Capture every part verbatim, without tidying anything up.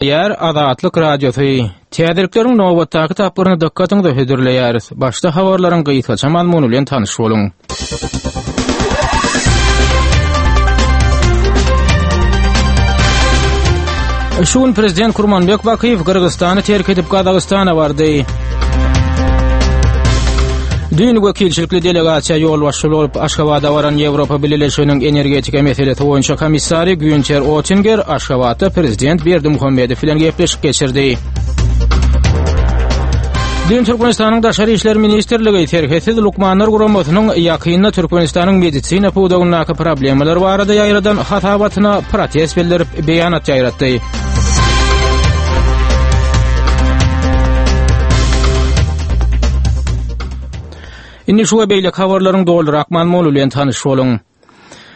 Ýer Azatlyk Radiosy Täzelikleriň nobatdaky tapgyryny dykgatyňyza hödürleýäris. Başda habarlaryň gysgaça mazmuny bilen tanyş boluň. Şu gün Prezident Kurmanbek Bakyýew Gyrgyzystany terk edip Gazagystana bardy. Düýn wekilçilikli delegasiýa ýolbaşçy bolup Aşgabada baran Ýewropa Bileleşiginiň energetika meselesi boýunça komissary Günter Oettinger Aşgabatda prezident Berdimuhamedow bilen gepleşik geçirdi. Düýn Türkmenistanyň Daşary işler ministrligi Serhetsiz lukmanlar guramasynyň ýakynda Türkmenistanyň medisina pudagyndaky problemalar barada ýaýradan hasabatyna protest bildirip beýanat ýaýratdy. Indi şu we beýleki habarlaryň dolurak mazmuny bilen tanyş boluň.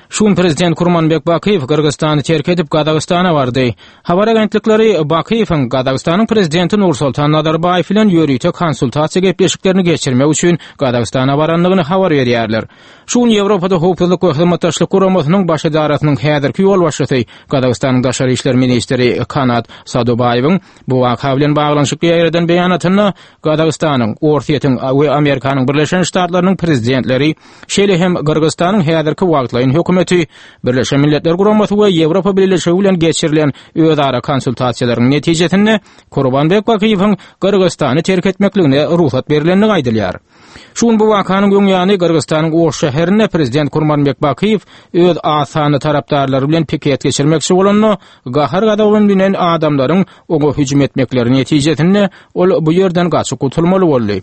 Şu gün prezident Kurmanbek Bakyýew Gyrgyzystany terk edip Gazagystana bardy. Habar agentlikleri Bakyýewiň Gazagystanyň prezidenti Nursoltan Nazarbaýew bilen ýörite konsultasiýa gepleşiklerini geçirmek üçin Gazagystana barandygyny habar berýärler. Şu gün Ýewropada Howpsuzlyk we Hyzmatdaşlyk Guramasynyň Baş edarasynyň häzirki ýolbaşçysy Gazagystanyň daşary işler ministri Kanat Sadubaýewiň bu waka bilen baglanyşykly ýaýradan beýanatynda Gazagystanyň, Orsýetiň we Amerikanyň Birleşen Ştatlarynyň prezidentleri, şeýle hem Gyrgyzystanyň häzirki wagtlaýyn hökümeti, Birleşen Milletler Guramasy we Ýewropa Bileleşigi bilen geçirilen özara konsultasiýalaryň netijesinde Kurbanbek Bakyýewiň Gyrgyzystany terk etmekligine rugsat berilendigi aýdylýar. Şu gün bu wakanyň öň ýany Gyrgyzystanyň Oş şäherinde prezident Kurmanbek Bakyýew öz az sanly tarapdarlary bilen piket geçirmekçi bolanda, gahar-gazaba münen adamlaryň oňa hüjüm etmekleri netijesinde ol bu ýerden gaçyp gutulmaly boldy.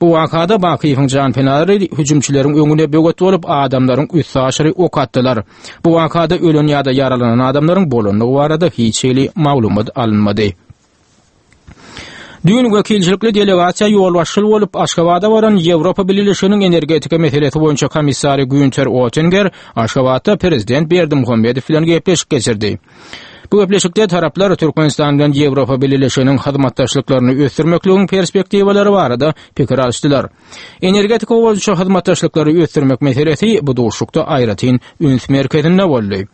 Bu wakada Bakyýewiň janpenalary hüjümçileriň öňüne böwet bolup, adamlaryň üstaşyry ok atdylar. Bu wakada ölen ýa-da ýaralanan adamlaryň bolandygy barada hiç hili maglumat alynmady. Düýn wekilçilikli delegasiýa ýolbaşçyly bolup Aşgabada baran Ýewropa Bileleşiginiň energetika meselesi boýunça komissary Günter Oettinger Aşgabatda prezident Berdimuhamedow bilen gepleşik geçirdi. Bu gepleşikde taraplar Türkmenistan bilen Ýewropa Bileleşiginiň hyzmatdaşlyklaryny ösdürmekligiň perspektiwalary barada pikir alyşdylar. Energetika boýunça hyzmatdaşlyklary ösdürmek meselesi bu duşuşykda aýratyn üns merkezinde boldy.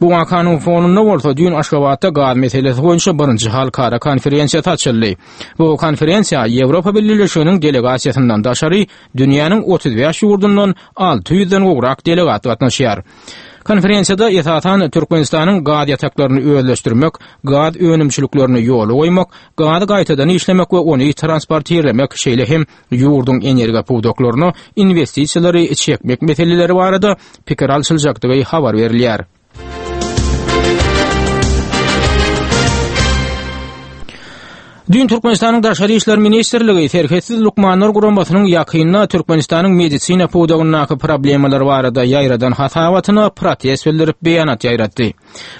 Bu wakanyň fonunda bolsa düýn Aşgabatda gaz meselesi boýunça birinji halkara konferensiýasy açyldy. Bu konferensiýa Ýewropa Bileleşiginiň delegasiýasyndan daşary dünýäniň otuz bäş ýurdundan alty ýüzden gowrak delegat gatnaşýar. Konferensiýada esasan Türkmenistanyň gaz ýataklaryny özleşdirmek, gaz önümçiliklerini ýola goýmak, gazy gaýtadan işlemek we ony transportirlemek, şeýle hem ýurduň energiýa pudaklaryna inwestisiýalary çekmek meseleleri barada pikir alşyljakdygy habar berilýär. Düýn Türkmenistanyň Daşary işler ministrligi Serhetsiz lukmanlar guramasynyň ýakynda Türkmenistanyň medisina pudagyndaky problemalar barada ýaýradan hasabatyna protest bildirip beýanat ýaýratdy.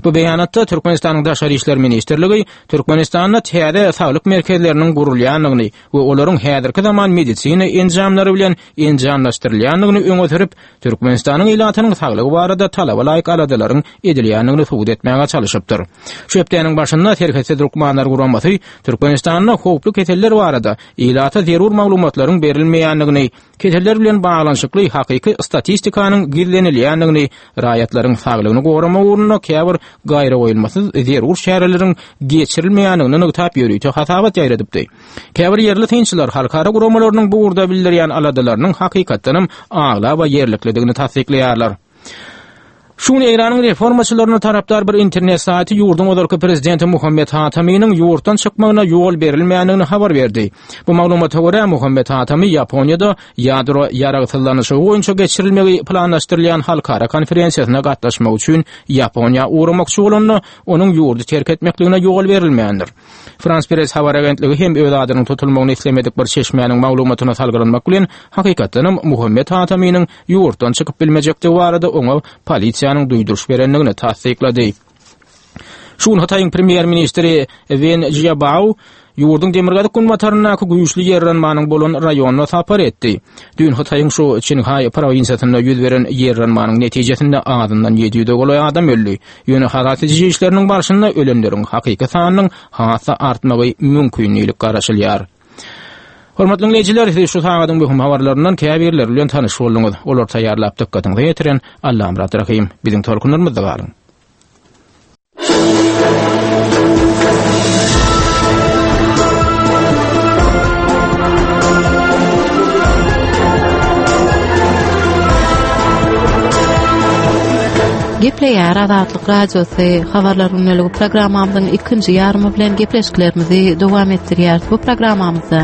Bu beýanatda Türkmenistanyň Daşary işler ministrligi Türkmenistanda täze saglyk merkezleriniň gurulýandygyny we olaryň häzirki zaman medisina enjamlary bilen enjamlaşdyrylýandygyny öňe sürüp, Türkmenistanyň ilatynyň saglygy barada talaba laýyk aladalaryň edilýändigini subut etmäge çalşypdyr. Şu hepdäniň başynda Serhetsiz lukmanlar guramasy Türkmenistanda howply keseller barada ilata zerur maglumatlaryň berilmeýändigini, keseller bilen baglanyşykly hakyky statistikanyň gizlenilýändigini, raýatlaryň saglygyny goramak ugrunda käbir gaýragoýulmasyz zerur çäreleriň geçirilmeýändigini nygtap ýörite hasabat ýaýradypdy. Käbir ýerli synçylar halkara guramalarynyň bu ugurda bildirýän aladalarynyň hakykatdanam aglaba ýerliklidigini tassyklaýarlar. Şu gün Eýranyň reformaçylaryna tarapdar bir internet saýty ýurduň ozalky prezidenti Muhammet Hatamynyň ýurtdan çykmagyna ýol berilmändigini habar berdi. Bu maglumata görä, Muhammet Hatamy Ýaponiýada ýadro ýaragsyzlanyşygy boýunça geçirilmegi planlaşdyrylýan halkara konferensiýasyna gatnaşmak üçin Ýaponiýa ugramakçy bolanda, onuň ýurdy terk etmekligine ýol berilmändir. Frans Press habar agentligi hem öz adynyň tutulmagyny islemedik bir çeşmäniň maglumatyna salgylanmak bilen, hakykatdanam Muhammet Hatamynyň ýurtdan çykyp bilmejekdigi barada oňa polisiýanyň duýduryş berendigini tassyklady. Şu gün Hytaýyň premýer-ministri Wen Jiabao ýurduň demirgazyk-günbataryndaky güýçli ýerranmanyň bolan raýonyna sapar etdi. Düýn Hytaýyň şu Çinhaý prowinsiýasynda ýüz beren ýerranmanyň netijesinde azyndan ýedi ýüze golaý adam öldi. Ýöne halas ediji işleriniň barşynda ölenleriň hakyky sanynyň has-da artmagy mümkin diýlip garaşylýar. Hormatly diňleýjiler, siz şu sagadyň möhüm habarlaryndan käbirleri bilen tanyş bolduňyz. Olary taýýarlap dykgatyňyza ýetiren Allamyrat Rahym. Biziň tolkunlarymyzda galyň. Gepleýär Azatlyk Radiosy habarlar gündeligi programmamyzyň ikinji ýarymy bilen gepleşiklerimizi dowam etdirýäris. Bu programmamyzda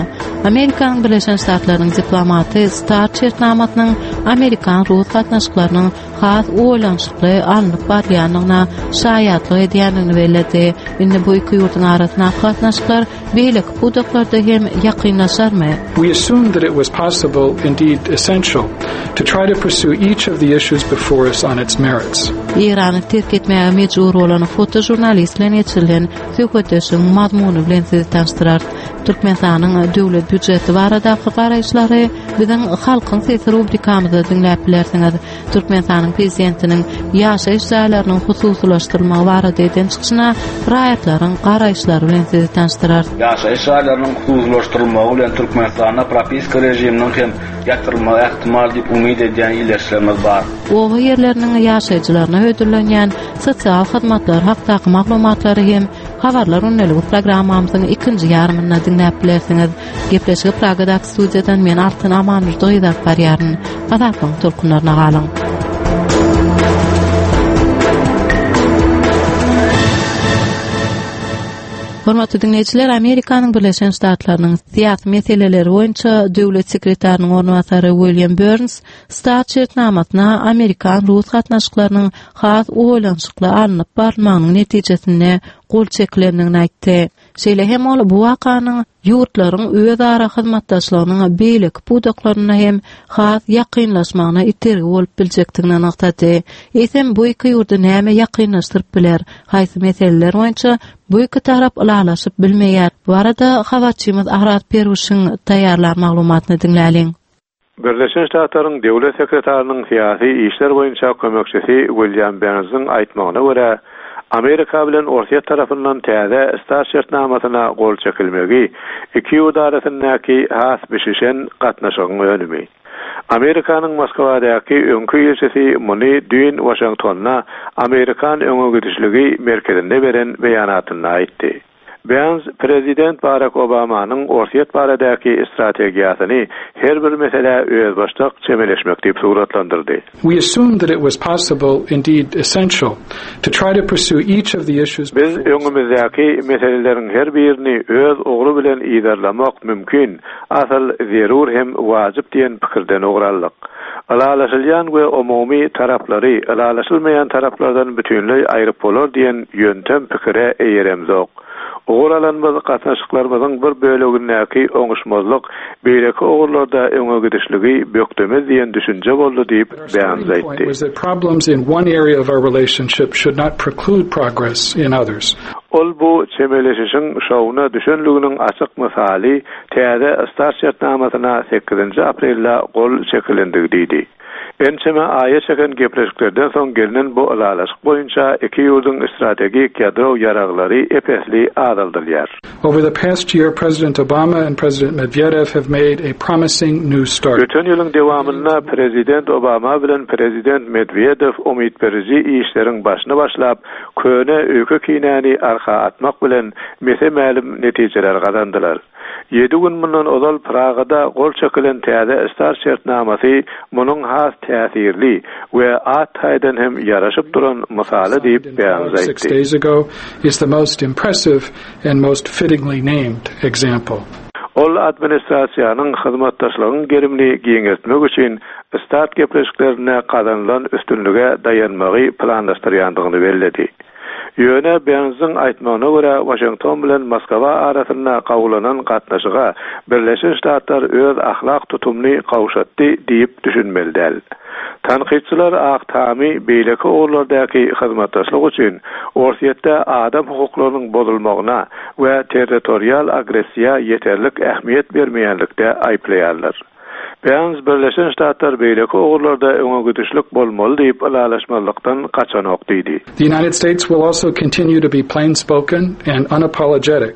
Amerikanyň Birleşen Ştatlarynyň diplomaty START şertnamasynyň Amerikan-Rus gatnaşyklarynyň has oýlanyşykly alnyp barylýandygyna şaýatlyk edýändigini belledi. Indi bu iki ýurduň arasyndaky gatnaşyklar beýleki pudaklarda hem ýakynlaşarmy? We assumed that it was possible, indeed essential, to try to pursue each of the issues before us on its merits. Eýrany terk etmäge mejbur bolan fotožurnalist bilen geçirilen söhbetdeşligiň mazmuny bilen sizi tanyşdyrarys. Türkmenistanyň döwlet býujeti baradaky garaýyşlary biziň Halkyň sesi rubrikamyzda diňläp bilersiňiz. Türkmenistanyň prezidentiniň ýaşaýyş jaýlarynyň hususylaşdyrylmagy barada eden çykyşyna raýatlaryň garaýyşlary bilen sizi tanyşdyrarys. Ýaşaýyş jaýlarynyň hususylaşdyrylmagy bilen Türkmenistanda propiska režiminiň hem ýatyrylmagy ähtimal diýip umyt edýän ildeşlerimiz bar. Oba ýerleriniň ýaşaýjylaryna hödürlenýän sosial hyzmatlar hakdaky maglumatlary hem Habarlar gündeligi programmamyzyň ikinji ýarymynda diňläp bilersiňiz. Gepleşigi Pragadaky studiýadan men Altyn Amanurdy gyz alyp barýaryn. Azatlygyň tolkunlaryna galyň. Hormatly diňleýjiler, Amerikanyň Birleşen Ştatlarynyň syýasy meseleleri boýunça döwlet sekretarynyň orunbasary William Burns START şertnamasyna amerikan-rus gatnaşyklarynyň has oýlanyşykly alnyp barylmagynyň netijesinde gol çekilendigini aýtdy. Şeýle hem ol bu wakanyň ýurtlaryň özara hyzmatdaşlygynyň beýleki pudaklarynda hem has ýakynlaşmagyna itergi bolup biljekdigini nygtady. Eýsem, bu iki ýurdy näme ýakynlaşdyryp biler? Haýsy meseleler boýunça bu iki tarap ylalaşyp bilmeýär? Bu barada habarçymyz Arat Perwişiň taýýarlan maglumatyny diňläliň. Birleşen Ştatlaryň Döwlet sekretarynyň syýasy işler boýunça kömekçisi William Bernsiň aýtmagyna görä, Amerika bilen Orsýet tarapyndan täze START şertnamasyna gol çekilmegi iki ýurt arasyndaky has bişişen gatnaşygyň önümi. Amerikanyň Moskwadaky öňki ilçisi muny düýn Waşingtonda Amerikan öňegidişligi merkezinde beren beýanatynda aýtdy. Berns prezident Barak Obamanyň Orsýet baradaky strategiýasyny her bir meselä özbaşdak çemeleşmek diýip suratlandyrdy. We assumed that it was possible, indeed essential, to try to pursue each of the issues Biz öňümizdäki meseleleriň her birini öz ugry bilen yzarlamak mümkin, asyl zerur hem wajyp diýen pikirden ugur aldyk. Ylalaşylýan we umumy taraplary ylalaşylmaýan taraplardan bütinleý aýryp bolar diýen ýöntem pikire eýeremzok. Ugur alanymyz gatnaşyklarymyzyň bir bölegindäki oňuşmazlyk beýleki ugurlarda öňe gidişligi bökdemez diýen düşünje boldy diýip Our Berns starting point aýtdy. was that problems in one area of our relationship should not preclude progress in others. Ol bu çemeleşişiň şowuna düşenliginiň açyk mysaly täze START şertnamasyna sekizinji aprelde gol çekilendigi diýdi. Ençeme aýa çeken gepleşiklerden soň gelnen bu ylalaşyk boýunça iki ýurduň strategik ýadro ýaraglary ep-esli azaldylýar. Over the past year, President Obama and President Medvedev have made a promising new start. Öten ýylyň dowamynda Prezident Obama bilen Prezident Medvedev umyt beriji işleriň başyny başlap, köne öýke-kinäni arka atmak bilen mese-mälim netijeler gazandylar. Ýedi gün mundan ozal Pragada gol çekilen täze START şertnamasy munuň has täsirli we at taýdan hem ýaraşyp duran mysaly diýip Berns Six aýtdy. days ago is the most impressive and most fittingly named example. Ol administrasiýanyň hyzmatdaşlygyň gerimini giňeltmek üçin START gepleşiklerine gazanylan üstünlige daýanmagy planlaşdyrýandygyny belledi. Ýöne Bernsiň aýtmagyna görä Waşington bilen Moskwa arasynda gowulanan gatnaşyga Birleşen Ştatlar öz ahlak tutumyny gowşatdy diýip düşünmeli däl. Tankytçylar Ak Tamy beýleki ugurlardaky hyzmatdaşlyk üçin Orsýetde adam hukuklarynyň bozulmagyna we territorial agressiýa ýeterlik ähmiýet bermeýänlikde aýyplaýarlar. Berns Birleşen Ştatlar beýleki ugurlarda öňe gidişlik bolmaly diýip ylalaşmazlykdan gaçanok diýdi. The United States will also continue to be plain spoken and unapologetic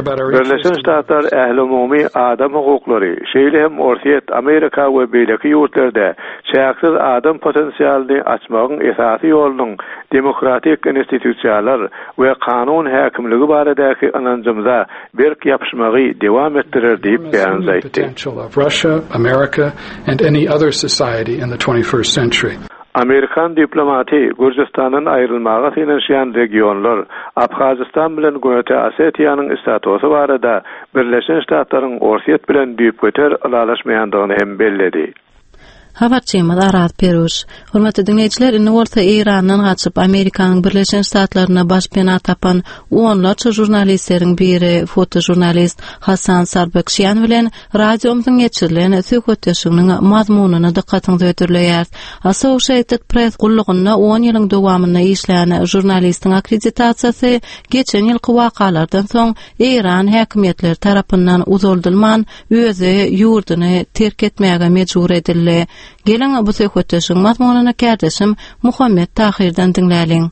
about our interest Birleşen Ştatlar ählumumy adam hukuklary, şeýle hem Orsýet, Amerika we beýleki ýurtlarda çäksiz adam potensialyny açmagyň esasy ýolunyň demokratik institusiýalar we kanun häkimligi baradaky ynanjymyza berk ýapyşmagy dowam etdirer diýip enormous beýan human aýtdy. potential of Russia, America, and any other society in the twenty-first century. Amerikan diplomaty Gürjüstandan aýrylmaga synanyşýan regionlar Abhazistan bilen Günorta Osetiýanyň statusy barada Birleşen Ştatlaryň Orsýet bilen düýpgöter ylalaşmaýandygyny hem belledi. Habarçymyz Araz Peruş. Hormatly dinleýjiler, indi bolsa Eýrandan gaçyp Amerikanyň Birleşen Ştatlaryna baş pena tapan onlarça žurnalistleriň biri fotožurnalist Hasan Sarbakşian bilen radiomyzyň geçirilen söhbetdeşliginiň mazmunyny dykgatyňyza hödürleýär. Associated Press gullugynda on ýylyň dowamynda işlän žurnalistiň akkreditasiýasy geçen ýylky wakalardan soň Eýran häkimiýetleri tarapyndan uzaldylman özi ýurduny terk etmäge mejbur edildi. Geliň bu söhbetdeşligiň mazmunyny kärdeşim Muhammet Tahirden diňläliň.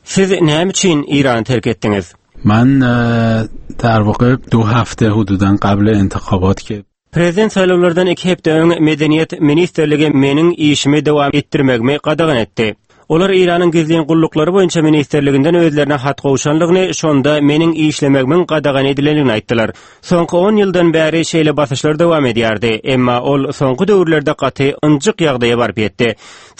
Siz näme üçin Eýrany terk etdiňiz? من اه، در واقع دو هفته حدوداً قبل انتخابات که Prezident saýlawlardan iki hepde öň Medeniýet ministrligi meniň işimi dowam etdirmegimi gadagan etdi. Olar Eýranyň gizlin gulluklary boýunça ministrliginden özlerine hat gowşanlygyny, şonda meniň işlemegimiň gadagan edilendigini aýtdylar. Soňky on ýyldan bäri şeýle basyşlar dowam edýärdi, emma ol soňky döwürlerde gaty ynjyk ýagdaýa baryp ýetdi.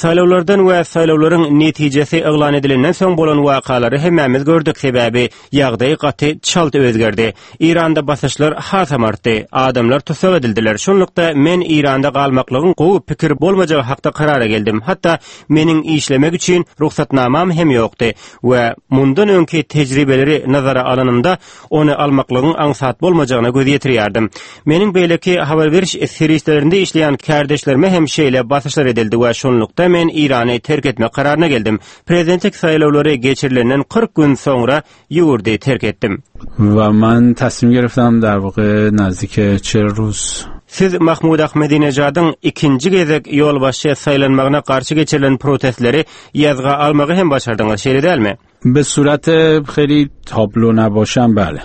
Saýlawlardan we saýlawlaryň netijesi yglan edilenden soň bolan wakalary hemmämiz gördük, sebäbi ýagdaý gaty çalt özgerdi. Eýranda basyşlar hasam artdy, adamlar tussag edildiler. Şonlukda men Eýranda galmaklygyň gowy pikir bolmajagy hakda karara geldim. Hatda meniň işlemek üçin ruhsatnamam hem ýokdy we mundan öňki tejribeleri nazara alanymda ony almaklygyň aňsat bolmajagyna göz ýetirýärdim. Meniň beýleki habar beriş serişdelerinde işleýän kärdeşlerime hem şeýle basyşlar edildi we şonlukda men Eýrany terk etmek kararyna geldim. Prezidentlik saýlawlary geçirilenden kyrk gün soňra ýurdy terk etdim. و من تصمیم گرفتم در واقع نزدیک چهل روز Siz Mahmud Ahmedinejadyň ikinji gezek ýolbaşçy saýlanmagyna garşy geçirilen protestleri ýazga almagy hem başardyňyz, şeýle dälmi? به صورت خیلی تابلو نباشم بله.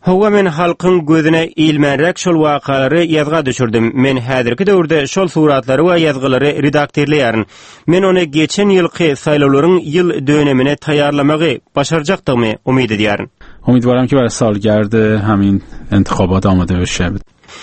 Hawa men halkyň gözüne ilmenrek şol wakalary ýazga düşürdim. Men häzirki döwürde şol suratlary we ýazgylary redaktirleýärin. Men ony geçen ýylky saýlawlaryň ýyl dönemine taýýarlamagy başarjakdygymy umyt edýärin. امیدوارم که برای سالگرد همین انتخابات آماده بشه.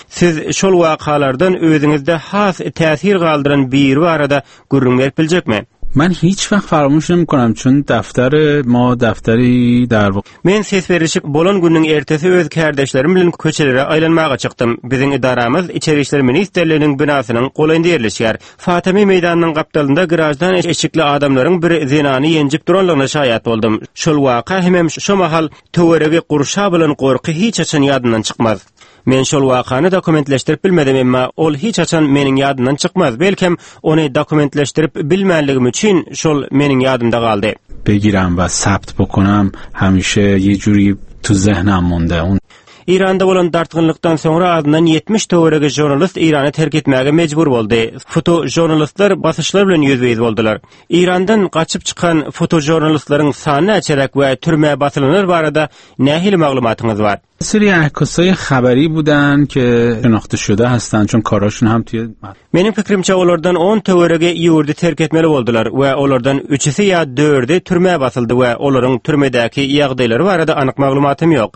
Siz şol wakalardan özüňizde has täsir galdyran biri barada gürrüň berip biljekmi? من هیچ وقت فراموش نمی‌کنم چون دفتر ما دفتری در واقع Men ses berişik bolan günüň ertesi öz kärdeşlerim bilen köçelere aýlanmaga çykdym. Biziň idaramyz Içeri İşler Ministrliginiň binasynyň golaýynda ýerleşýär. Fatimi meýdanynyň gapdalynda grajdan eşikli adamlaryň bir zenany ýenjip duranlygyna şaýat boldum. Şol waka hemem şo mahal töweregi gurşa bilen gorky hiç haçan ýadyndan çykmaz. Men şol wakany dokumentleşdirip bilmedim, emma ol hiç haçan meniň ýadymdan çykmaz. Belkem ony dokumentleşdirip bilmänligim üçin şol meniň ýadymda galdy. بگیرم و ثبت بکنم همیشه یه جوری تو ذهنم مونده. اون Eýranda bolan dartgynlykdan soňra adyndan ýetmiş töweregi žurnalist Eýrany terk etmäge mejbur boldy. Fotožurnalistler basyşlar bilen ýüzbe-ýüz boldular. Eýrandan gaçyp çykan fotožurnalistleriň sany näçeräk we türmä basylanlar barada nähili maglumatyňyz bar? سری عکاسای خبری بودن که شناخته شده هستن چون کاراشون هم توی Meniň pikrimçe olardan on töweregi ýurdy terk etmeli boldular we olardan üçüsi ýa dördi türmä basyldy we olaryň türmedäki ýagdaýlary barada anyk maglumatym ýok.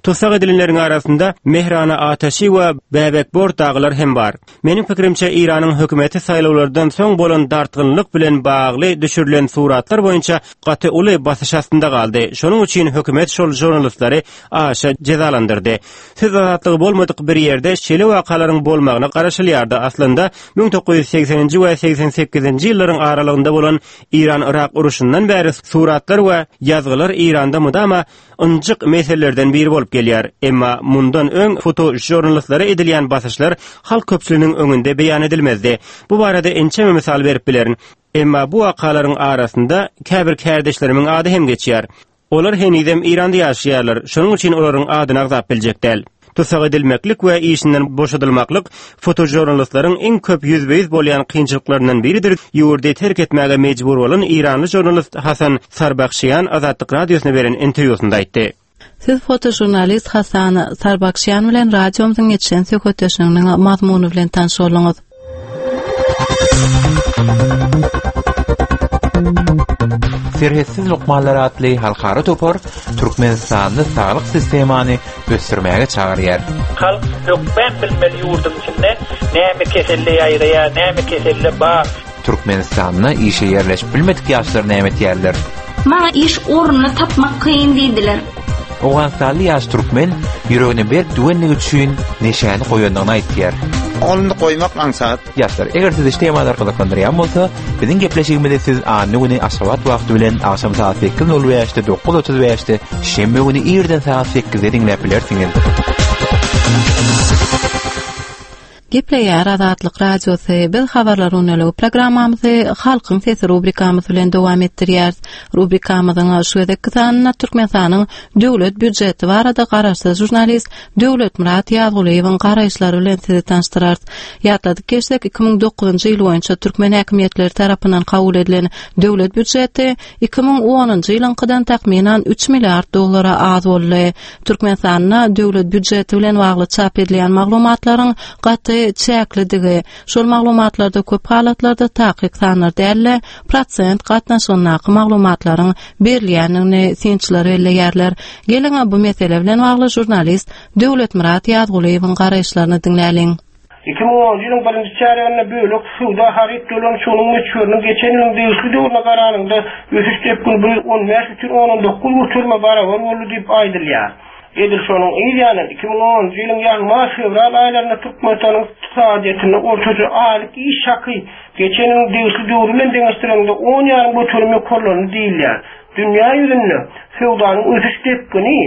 Tussag edilenleriň arasynda Mehrana Ataşi we Bäbek Bor daglar hem bar. Meniň pikrimçe Eýranyň hökümeti saýlawlardan soň bolan dartgynlyk bilen bagly düşürilen suratlar boýunça gaty uly basyş astynda galdy. Şonuň üçin hökümet şol žurnalistleri aşa jezalandyrdy. Söz azatlygy bolmadyk bir ýerde şeýle wakalaryň bolmagyna garaşylýardy. Aslynda müň dokuz ýüz segseninji we segsen sekizinji ýyllaryň aralygynda bolan Eýran-Irak uruşyndan bäri suratlar we ýazgylar Eýranda mudama ynjyk meselelerden biri bolup gelýär. Emma mundan öň fotožurnalistlere edilýän basyşlar halk köpçüliginiň öňünde beýan edilmezdi. Bu barada ençeme mysal berip bilerin. Emma bu wakalaryň arasynda käbir kärdeşlerimiň ady hem geçýär. Olar henizem Eýranda ýaşaýarlar. Şonuň üçin olaryň adyny agzap biljek däl. Tussag edilmeklik we işinden boşadylmaklyk fotožurnalistleriň iň köp ýüzbe-ýüz bolýan kynçylyklaryndan biridir. Ýurdy terk etmäge mejbur bolan Eýranly žurnalist Hasan Sarbakşian Azatlyk radiosyna beren interwýusynda aýtdy. Siz fotožurnalist Hasan Sarbakşyan bilen radiomyzyň geçen söhbetdeşliginiň mazmuny bilen tanyş bolduňyz. Serhetsiz Lukmanlar atly halkara topar Türkmenistanda saglyk sistemany ösdürmäge çagyrýar. Halk hökmän bilmeli ýurduň içinde näme keselle ýaýraýar, näme keselle bar. Türkmenistanda işe ýerleşip bilmedik ýaşlar näme etýärler? Maňa iş ornuny tapmak kyn diýdiler. Owganystanly ýaş türkmen ýüregine berk düwenligi üçin neşäni goýandygyny aýtýar. Ony goýmak aňsat. Ýaşlar, eger sizi şu temalar gyzyklandyrýan bolsa, biziň gepleşigimizi siz anna güni Aşgabat wagty bilen agşam saat sekiz nol bäşde, dokuz otuz bäşde, şenbe güni irden saat sekizde diňläp bilersiňiz. Gepleýär Azatlyk Radiosy. Biz habarlar uneligi programmamyzy Halkyň sesi rubrikamyz bilen dowam etdirýäris. Rubrikamyzyň şu gezekki sanynda Türkmenistanyň döwlet býudjeti barada garaşsyz žurnalist Döwletmyrat Ýazgulyýewiň garaýyşlary bilen sizi tanyşdyrarys. Ýatladyk geçsek, iki müň dokuzynjy ýyl boýunça türkmen häkimiýetleri tarapyndan kabul edilen döwlet býudjeti iki müň onunjy ýylyňkydan takmynan üç milliard dollara az boldy. Türkmenistanda döwlet býudjeti bilen bagly çap edilýän maglumatlaryň gaty çäklidigi, şol maglumatlarda köp halatlarda takyk sanlar däl-de, prosent gatnaşygyndaky maglumatlaryň berilýändigini synçylar belleýärler. Geliň bu mesele bilen bagly žurnalist Döwletmyrat Ýazgulyýewiň garaýyşlaryny diňläliň. Iki müň onunjy ýylyň birinji çärýeginde bölek söwda haryt dolanyşygynyň möçberiniň geçen ýylyň degişli döwrüne garanyňda ösüş depgini bir ýüz on bäş bütin ondan dokuz göterime barabar boldy diýip aýdylýar. Edil şonuň yz ýany iki müň onunjy ýylyň ýanwar-fewral aýlarynda Türkmenistanyň ykdysadyýetinde ortaça aýlyk iş haky geçen ýylyň degişli döwri bilen deňeşdireniňde on ýarym göterim ýokarlandy diýilýär. Dünýä ýüzünde söwdanyň ösüş depgini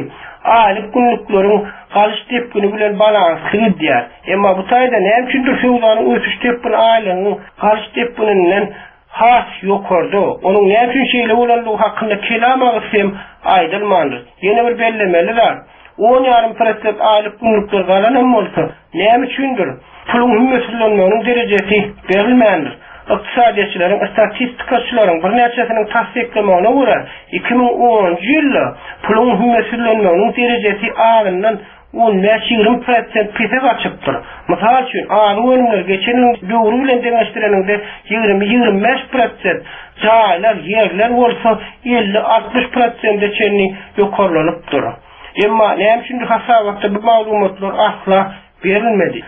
aýlyk günlükleriň galyş depgini bilen balansly gidýär. Emma bu taýda näme üçindir söwdanyň ösüş depgini aýlygyň galyş depgininden has ýokarda. Onuň näme üçin şeýle bolandygy hakynda kelam agyz hem aýdylmandyr. Ýene bir bellemeli zat, on ýarym prosent aýlyk günlükler galan hem bolsa, näme üçindir puluň hümmetsizlenmeginiň derejesi berilmändir. Ykdysadyýetçileriň, statistikaçylaryň birnäçesiniň tassyklamagyna görä, iki müň onunjy ýylda puluň hümmetsizlenmeginiň derejesi azyndan on bäş ýigrimi prosent pese gaçypdyr. Mysal üçin, azyk önümleri geçen ýylyň döwri bilen deňeşdireniňde ýigrimi ýigrimi bäş prosent, jaýlar, ýerler bolsa elli altmyş prosente çenli ýokarlanypdyr. Emma näme üçindir hasabatda bu maglumatlar asla berilmedi.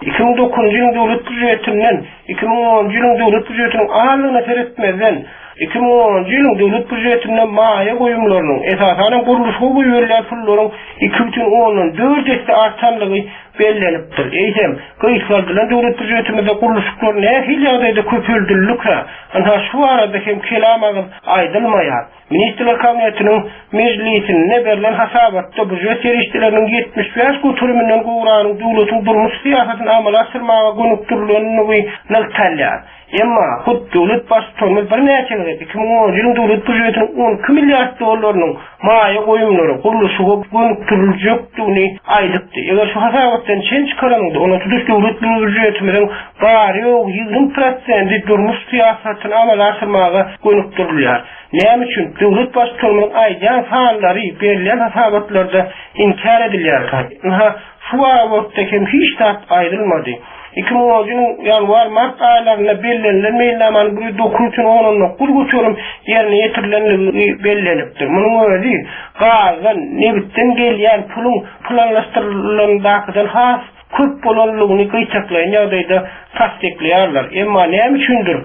Iki müň dokuzunjy ýylyň döwlet býudjetinden iki müň onunjy ýylyň döwlet býudjetiniň azlygyna seretmezden iki müň onunjy ýylyň döwlet býudjetinde maýa goýumlarynyň, esasan gurluşyga goýberilýän pullaryň iki bütin ondan dört esse artanlygy bellenipdir. Eýsem, gysgaldylan döwlet býudjetimizde gurluşyklar nähili ýagdaýda köpeldildikä? Ynha şu barada hem kelam agyz aýdylmaýar. Ministrler Kabinetiniň mejlisinde berlen hasabatda býujet serişdeleriniň ýetmiş bäş göteriminden gowragynyň döwletiň durmuş syýasatyny amala aşyrmaga gönükdirilendigi nygtalýar. Emma hut döwlet baştutanymyz birnäçe gezek iki müň onunjy ýylyň döwlet býujetiniň on iki milliard dollarynyň maýa goýumlary gurluşyga gönükdiriljekdigini aýdypdy. Eger şu hasabatdan çen çykaranyňda, onda tutuş döwlet býujetimiziň bary ýogy ýigrimi prosenti durmuş syýasatyny amala aşyrmaga gönükdirilýär. Näme üçin döwlet baştutanymyzyň aýdýan sanlary berilýän hasabatlarda inkär edilýär? Ynha, şu babatda hem hiç zat aýdylmady. Iki müň onunjy ýylyň ýanwar-mart aýlarynda bellenilen meýilnamanyň bir ýüz dokuz bütin ondan dokuz göterim ýerine ýetirilenligi bellenipdir. Munuň özi gazdan, nebitden gelýän puluň planlaşdyrylandakydan has köp bolanlygyny gyýtaklaýan ýagdaýda tassyklaýarlar. Emma näme üçindir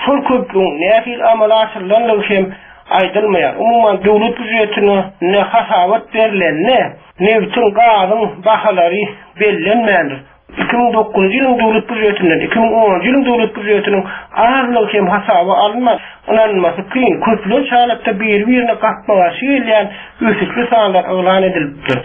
şol köplügiň nähili amala aşyrylanlygy hem aýdylmaýar. Umuman döwlet býujetine ne hasabat berilende nebitiň, gazyň bahalary bellenmändir. Iki müň dokuzunjy ýylyň döwlet býujetinden iki müň onunjy ýylyň döwlet býujetiniň azlygy hem hasaba alynman, ynanmasy kyn, köplenç halatda biri-birine gapma-garşy gelýän ösüşli sanlar yglan edilipdir.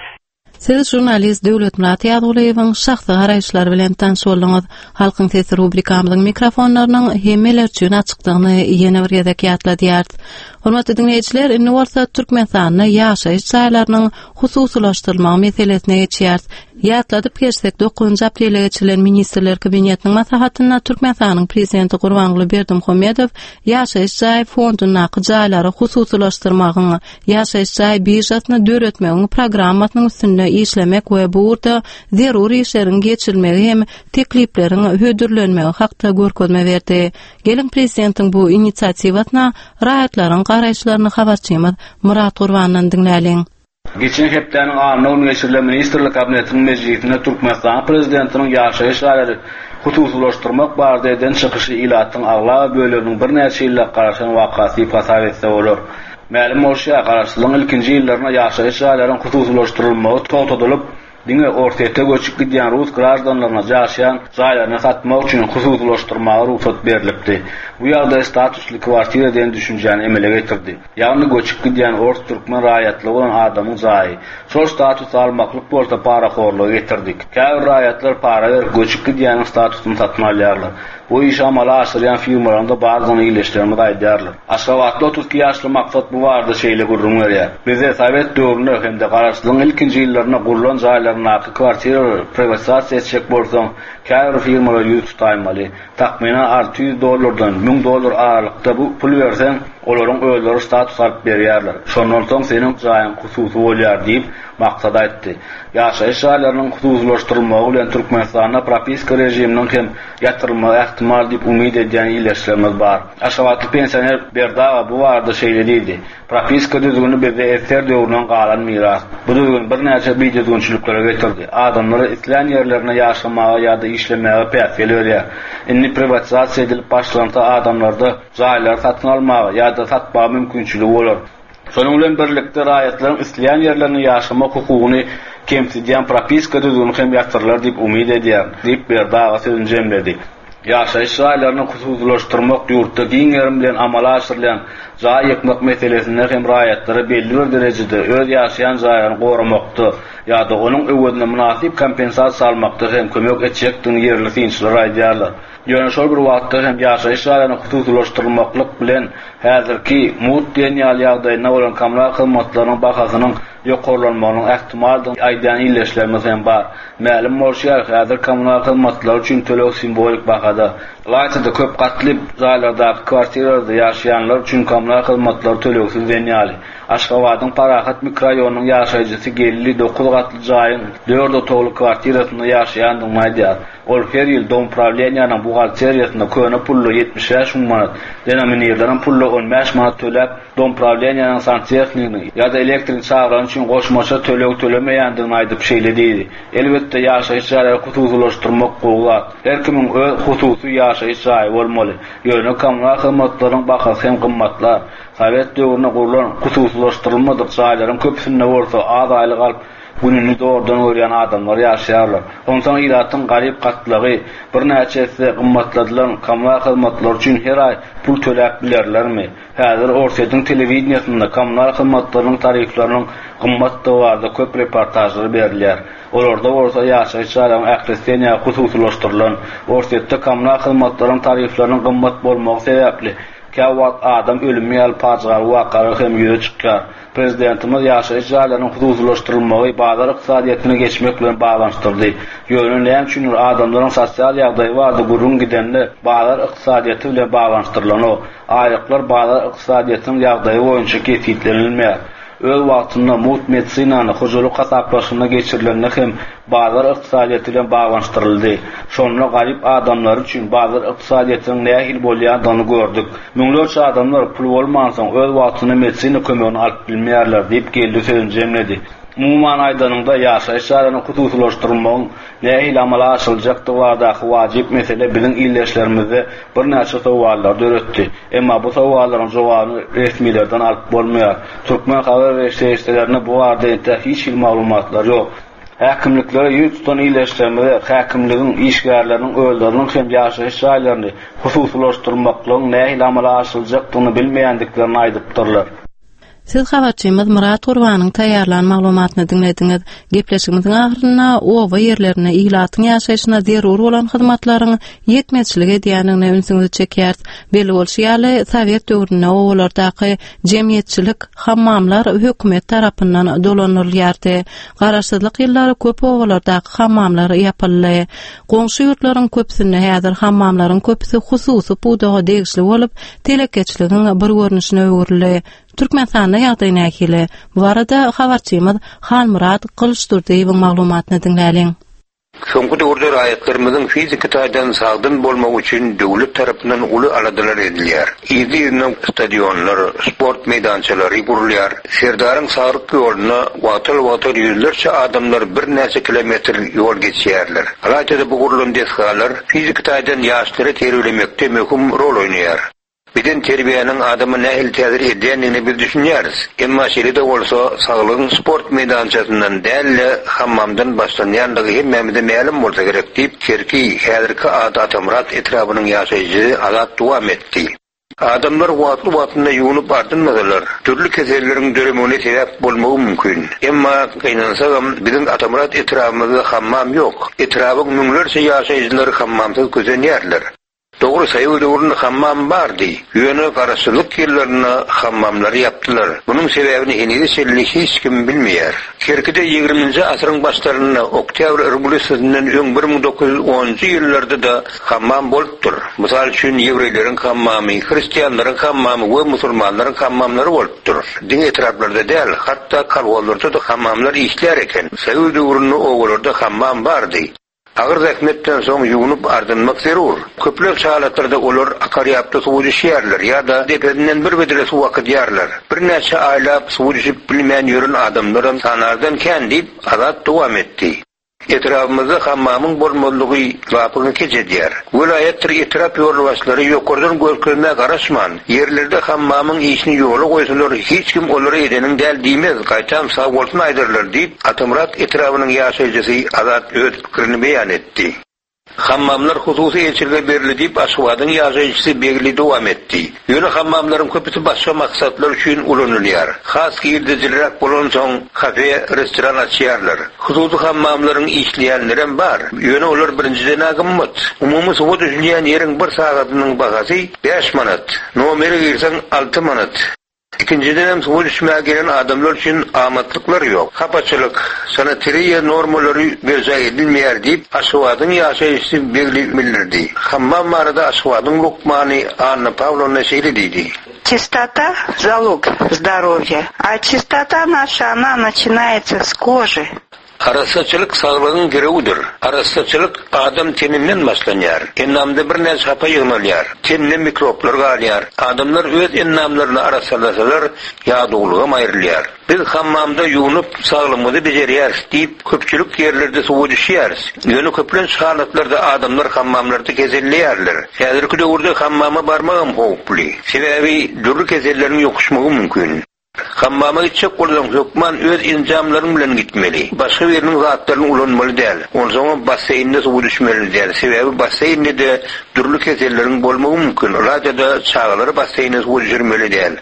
Siz žurnalist Döwletmyrat Ýazgulyýewiň şahsy garaýyşlary bilen tanyş bolduňyz. Halkyň sesi rubrikamyzyň mikrofonlarynyň hemmeler üçin açykdygyny ýene bir gezek ýatladýarys. Hormatly diňleýjiler, indi bolsa Türkmenistanda ýaşaýyş jaýlarynyň hususylaşdyrylmagy meselesine geçýäris. Ýatladyp geçsek, dokuzynjy aprelde geçirilen Ministrler Kabinetiniň maslahatynda Türkmenistanyň Prezidenti Gurbanguly Berdimuhamedow ýaşaýyş jaý fondundaky jaýlary hususylaşdyrmagyň, ýaşaýyş jaý biržasyny döretmegiň programmasynyň üstünde işlemek we bu ugurda zerur işleriň geçirilmegi hem teklipleriň hödürlenmegi hakda görkezme berdi. Geliň prezidentiň bu inisiatiwasyna raýatlaryň garaýyşlaryny habarçymyz Murat Gurbandan diňläliň. Geçen hepdäniň anna güni geçirilen Ministrler Kabinetiniň mejlisinde Türkmenistanyň Prezidentiniň ýaşaýyş jaýlary hususylaşdyrmak barada eden çykyşy ilatyň aglaba böleginiň birnäçe ýyllap garaşan wakasy diýip hasap etse bolar. Mälim bolşy ýaly, Garaşsyzlygyň ilkinji ýyllarynda ýaşaýyş jaýlaryň hususylaşdyrylmagy togtadylyp, diňe Orsýete göçüp gidýän rus graždanlaryna ýaşaýan jaýlaryny satmak üçin hususylaşdyrmaga rugsat berlipdi. Bu ýagdaý statusly kwartira diýen düşünjäni emele getirdi. Ýagny göçüp gidýän ors türkmen raýatlygy bolan adamyň jaýy. Şol statusy almaklyk bolsa parahorluga getirdi. Käbir raýatlar para berip göçüp gidýäniň statusyny satyn alýarlar. Bu işi amala aşyrýan firmalaryň-da bardygyny ildeşlerimiz aýdýarlar. Aşgabatly otuz iki ýaşly Maksat bu barada şeýle gürrüň berýär. Bizde sowet döwründe hem-de Garaşsyzlygyň ilkinji ýyllarynda gurlan jaýlaryndaky kwartiralary priwatizasiýa etjek bolsaň, käbir firmalara ýüz tutaýmaly. Takmynan alty ýüz dollardan müň dollar aralykda bu pul berseň, olaryň özleri status alyp berýärler. Şondan soň seniň jaýyň hususy bolýar diýip, Maksat aýtdy. Ýaşaýyş jaýlarynyň hususylaşdyrylmagy bilen Türkmenistanda propiska režiminiň hem ýatyrylmagy ähtimal diýip umyt edýän ildeşlerimiz bar. Aşgabatly pensioner Berdi aga bu barada şeýle diýdi. Propiska düzgüni bizde S S R döwründen galan miras. Bu düzgün birnäçe bidüzgünçiliklere getirdi. Adamlara islän ýerlerinde ýaşamaga ýa-da işlemäge päsgel berýär. Indi priwatizasiýa edilip başlansa adamlarda jaýlary satyn almaga ýa-da satmaga mümkinçiligi bolar. Şonuň bilen birlikde raýatlaryň isleýän ýerlerinde ýaşamak hukugyny kemsidýän propiska düzgüni hem ýatyrylar diýip umyt edýär, diýip Berdi aga sözüni jemledi. Ýaşaýyş jaýlaryny hususylaşdyrmak ýurtda giň gerim bilen amala aşyrylýan jaý ýykmak meselesinde hem raýatlara belli bir derejede öz ýaşaýan jaýlaryny goramakda ýa-da onuň öwezine mynasyp kompensasiýa almakda hem kömek etjekdigini ýerli synçylar aýdýarlar. Ýöne şol bir wagtda hem ýaşaýyş jaýlaryny hususylaşdyrmaklyk bilen häzirki mugt diýen ýaly ýagdaýynda bolan kommunal hyzmatlarynyň bahasynyň ýokarlanmagynyň ähtimaldygyny aýdýan ildeşlerimiz hem bar. Mälim bolşy ýaly, häzir kommunal hyzmatlary üçin töleg simwolik bahada. Ylaýta-da köp gatly jaýlardaky kwartiralarda ýaşaýanlar üçin kommunal hyzmatlary tölegsiz diýen ýaly. Aşgabadyň Parahat mikroraýonynyň ýaşaýjysy Geldi dokuz gatly jaýyň dört otagly kwartirasynda ýaşaýandygyny aýdýar. Ol her ýyl domuprawleniýanyň buhgalteriýasynda köne pully ýetmiş bäş müň manat, denominirlenen pully on bäş manat töläp, domuprawleniýanyň santehnikini ýa-da elektrik çagyrany üçin goşmaça töleg tölemeýändigini aýdyp şeýle diýdi. Elbetde ýaşaýyş jaýlary hususylaşdyrmak gowy zat. Her kimiň öz hususy ýaşaýyş jaýy bolmaly. Ýöne kommunal hyzmatlaryň bahasy hem gymmatlar. Sowet döwründe gurlan hususylaşdyrylmadyk jaýlaryň köpüsinde bolsa az aýlyk alyp gününi zordan görýän adamlar ýaşaýarlar. Onsoň ilatyň garyp gatlagy birnäçe esse gymmatladylan kommunal hyzmatlary üçin her aý pul töläp bilerlermi? Häzir Orsýetiň telewideniýasynda kommunal hyzmatlarynyň tarifleriniň gymmatdygy barada köp reportažlar berilýär. Olarda bolsa ýaşaýyş jaýlaryň ählisi ýa hususylaşdyrylan. Orsýetde kommunal hyzmatlaryň tarifleriniň gymmat bolmagy sebäpli käwagt adam ölümi ýaly pajygaly wakalar hem ýüze çykýar. Prezidentimiz ýaşaýyş jaýlarynyň hususylaşdyrylmagy bazar ykdysadyýetine geçmek bilen baglanyşdyrdy. Ýöne näme üçindir adamlaryň sosial ýagdaýy barada gürrüň gidende bazar ykdysadyýeti bilen baglanyşdyrylanok. Aýlyklar bazar ykdysadyýetiniň ýagdaýy boýunça kesgitlenilmeýär. Öz wagtynda mugt medisinany hojalyk hasaplaşygyna geçirilende hem bazar ykdysadyýeti bilen baglanyşdyryldy. Şonda garyp adamlar üçin bazar ykdysadyýetiniň nähili bolýandygyny gördük. Müňlerçe adamlar pul bolmansoň öz wagtynda medisina kömegini alyp bilmeýärler diýip Geldi sözüni jemledi. Umuman aýdanyňda ýaşaýyş jaýlaryny hususylaşdyrmagyň nähili amala aşyryljakdygy baradaky wajyp mesele biziň ildeşlerimizde birnäçe sowallar döretdi. Emma bu sowallaryň jogabyny resmilerden alyp bolmaýar. Türkmen habar beriş serişdelerinde bu barada entek hiç hili maglumatlar ýok. Häkimliklere ýüz tutan ildeşlerimize häkimligiň işgärleriniň özleriniň hem ýaşaýyş jaýlaryny hususylaşdyrmaklygyň nähili amala aşyryljakdygyny bilmeýändiklerini aýdypdyrlar. Siz habarçymyz Myrat Gurbanyň taýýarlan maglumatyny diňlediňiz. Gepleşigimiziň ahyrynda oba ýerlerinde ilatyň ýaşaýşyna zerur bolan hyzmatlaryň ýetmezçilik edýändigine ünsüňizi çekýäris. Belli bolşy ýaly, sowet döwründe obalardaky jemgyýetçilik hammamlar hökümet tarapyndan dolandyrylýardy. Garaşsyzlyk ýyllary köp obalardaky hammamlar ýapyldy. Goňşy ýurtlaryň köpüsinde häzir hammamlaryň köpüsi hususy pudaga degişli bolup, telekeçiligiň bir görnüşine öwrüldi. Türkmenistanda ýagdaý nähili? Bu barada habarçymyz Halmyrat Gylyçdurdyýewiň maglumatyny diňläliň. Soňky döwürde raýatlarymyzyň fiziki taýdan sagdyn bolmagy üçin döwlet tarapyndan uly aladalar edilýär. Yzly-yzyna stadionlar, sport meýdançalary gurulýar. Serdaryň saglyk ýolunda wagtal-wagtal ýüzlerçe adamlar birnäçe kilometr ýol geçýärler. Ylaýta-da bu gurlan desgalar fiziki taýdan ýaşlary terbiýelemekde möhüm rol oýnaýar. Beden terbiýäniň adama nähili täsir edýändigine biz düşünýäris. Emma şeýle-de bolsa, saglygyň sport meýdançasyndan däl-de, hammamdan başlanýandygy hemmämize mälim bolsa gerek diýip, Kerki, häzirki ady Atamyrat etrabynyň ýaşaýjysy Azat dowam etdi. Adamlar wagtly-wagtynda ýuwnup ardynmasalar, dürli keselleriň döremegine sebäp bolmagy mümkin. Emma, gynansagam, biziň Atamyrat etrabymyzda hammam ýok. Etrabyň müňlerçe ýaşaýjylary hammamsyz kösenýärler. Dogry, soýuz döwründe hammam bardy. Ýöne garaşsyzlyk ýyllarynda hammamlary ýapdylar. Munuň sebäbini henize çenli hiç kim bilmeýär. Kerkide ýigriminji asyryň başlarynda, Oktýabr rewolýusiýasyndan öň bir müň dokuz ýüz onunjy ýyllarda-da hammam bolupdyr. Mysal üçin, ýewreýleriň hammamy, hristianlaryň hammamy we musulmanlaryň hammamlary bolupdyr. Diňe etraplarda däl, hatda kolhozlarda-da hammamlar işlär eken. Soýuz döwründe obalarda hammam bardy. Agyr zähmetden soň ýuwnup ardynmak zerur. Köplenç halatlarda olar akar ýapda suwa düşýärler ýa-da depesinden bir bedre suw akydýarlar. Birnäçe aýlap suwa düşüp bilmän ýören adamlaram sanardan kän diýip, Azat dowam etdi. Etrabymyzda hammamyň bolmazlygy lapyňy kej edýär. Welaýatdyr etrap ýolbaşçylary ýokardan görkezmä garaşman, ýerlerde hammamyň işini ýola goýsalar hiç kim olara edeniň däl diýmez, gaýtam sagbolsun aýdarlar diýip, Atamyrat etrabynyň ýaşaýjysy Azat öz pikirini beýan etdi. Hammamlar hususy eýeçilige berildi diýip, Aşgabadyň ýaşaýjysy Begli dowam etdi. Ýöne hammamlaryň köpüsi başga maksatlar üçin ulanylýar. Has girdejiliräk bolansoň, kafe, restoran açýarlar. Hususy hammamlaryň işleýänlerem bar. Ýöne olar birinjiden-ä gymmat. Umumy suwa düşülýän ýeriň bir sagadynyň bahasy bäş manat. Nomere girseň alty manat. Ikinjidenem suwa düşmäge gelen adamlar üçin amatlyklar ýok. Hapaçylyk, sanitariýa normalary berjaý edilmeýär diýip, Aşgabadyň ýaşaýjysy Begli bildirdi. Hammam barada Aşgabadyň lukmany Anna Pawlowna şeýle diýdi. Çistota, zalog zdorowýa. A çistota naşa, ona naçinaýetsa s koži. Arassaçylyk saglygyň girewidir. Arassaçylyk adam teninden başlanýar. Endamda birnäçe hapa ýygnalýar. Tende mikroblar galýar. Adamlar öz endamlaryny arassalasalar, ýadawlygam aýrylýar. Biz hammamda ýuwnup, saglygymyzy bejerýäris diýip, köpçülik ýerlerde suwa düşýäris. Ýöne köplenç halatlarda adamlar hammamlarda keselleýärler. Häzirki döwürde hammama barmagam howply. Sebäbi dürli keselleriň ýokuşmagy mümkin. Hammama gitjek bolsaň, hökman öz enjamlaryň bilen gitmeli. Başga biriniň zatlaryny ulanmaly däl. Onsoňam basseýnde suwa düşmeli däl. Sebäbi basseýnde-de dürli keselleriň bolmagy mümkin. Ylaýta-da çagalary basseýne suwa düşürmeli däl.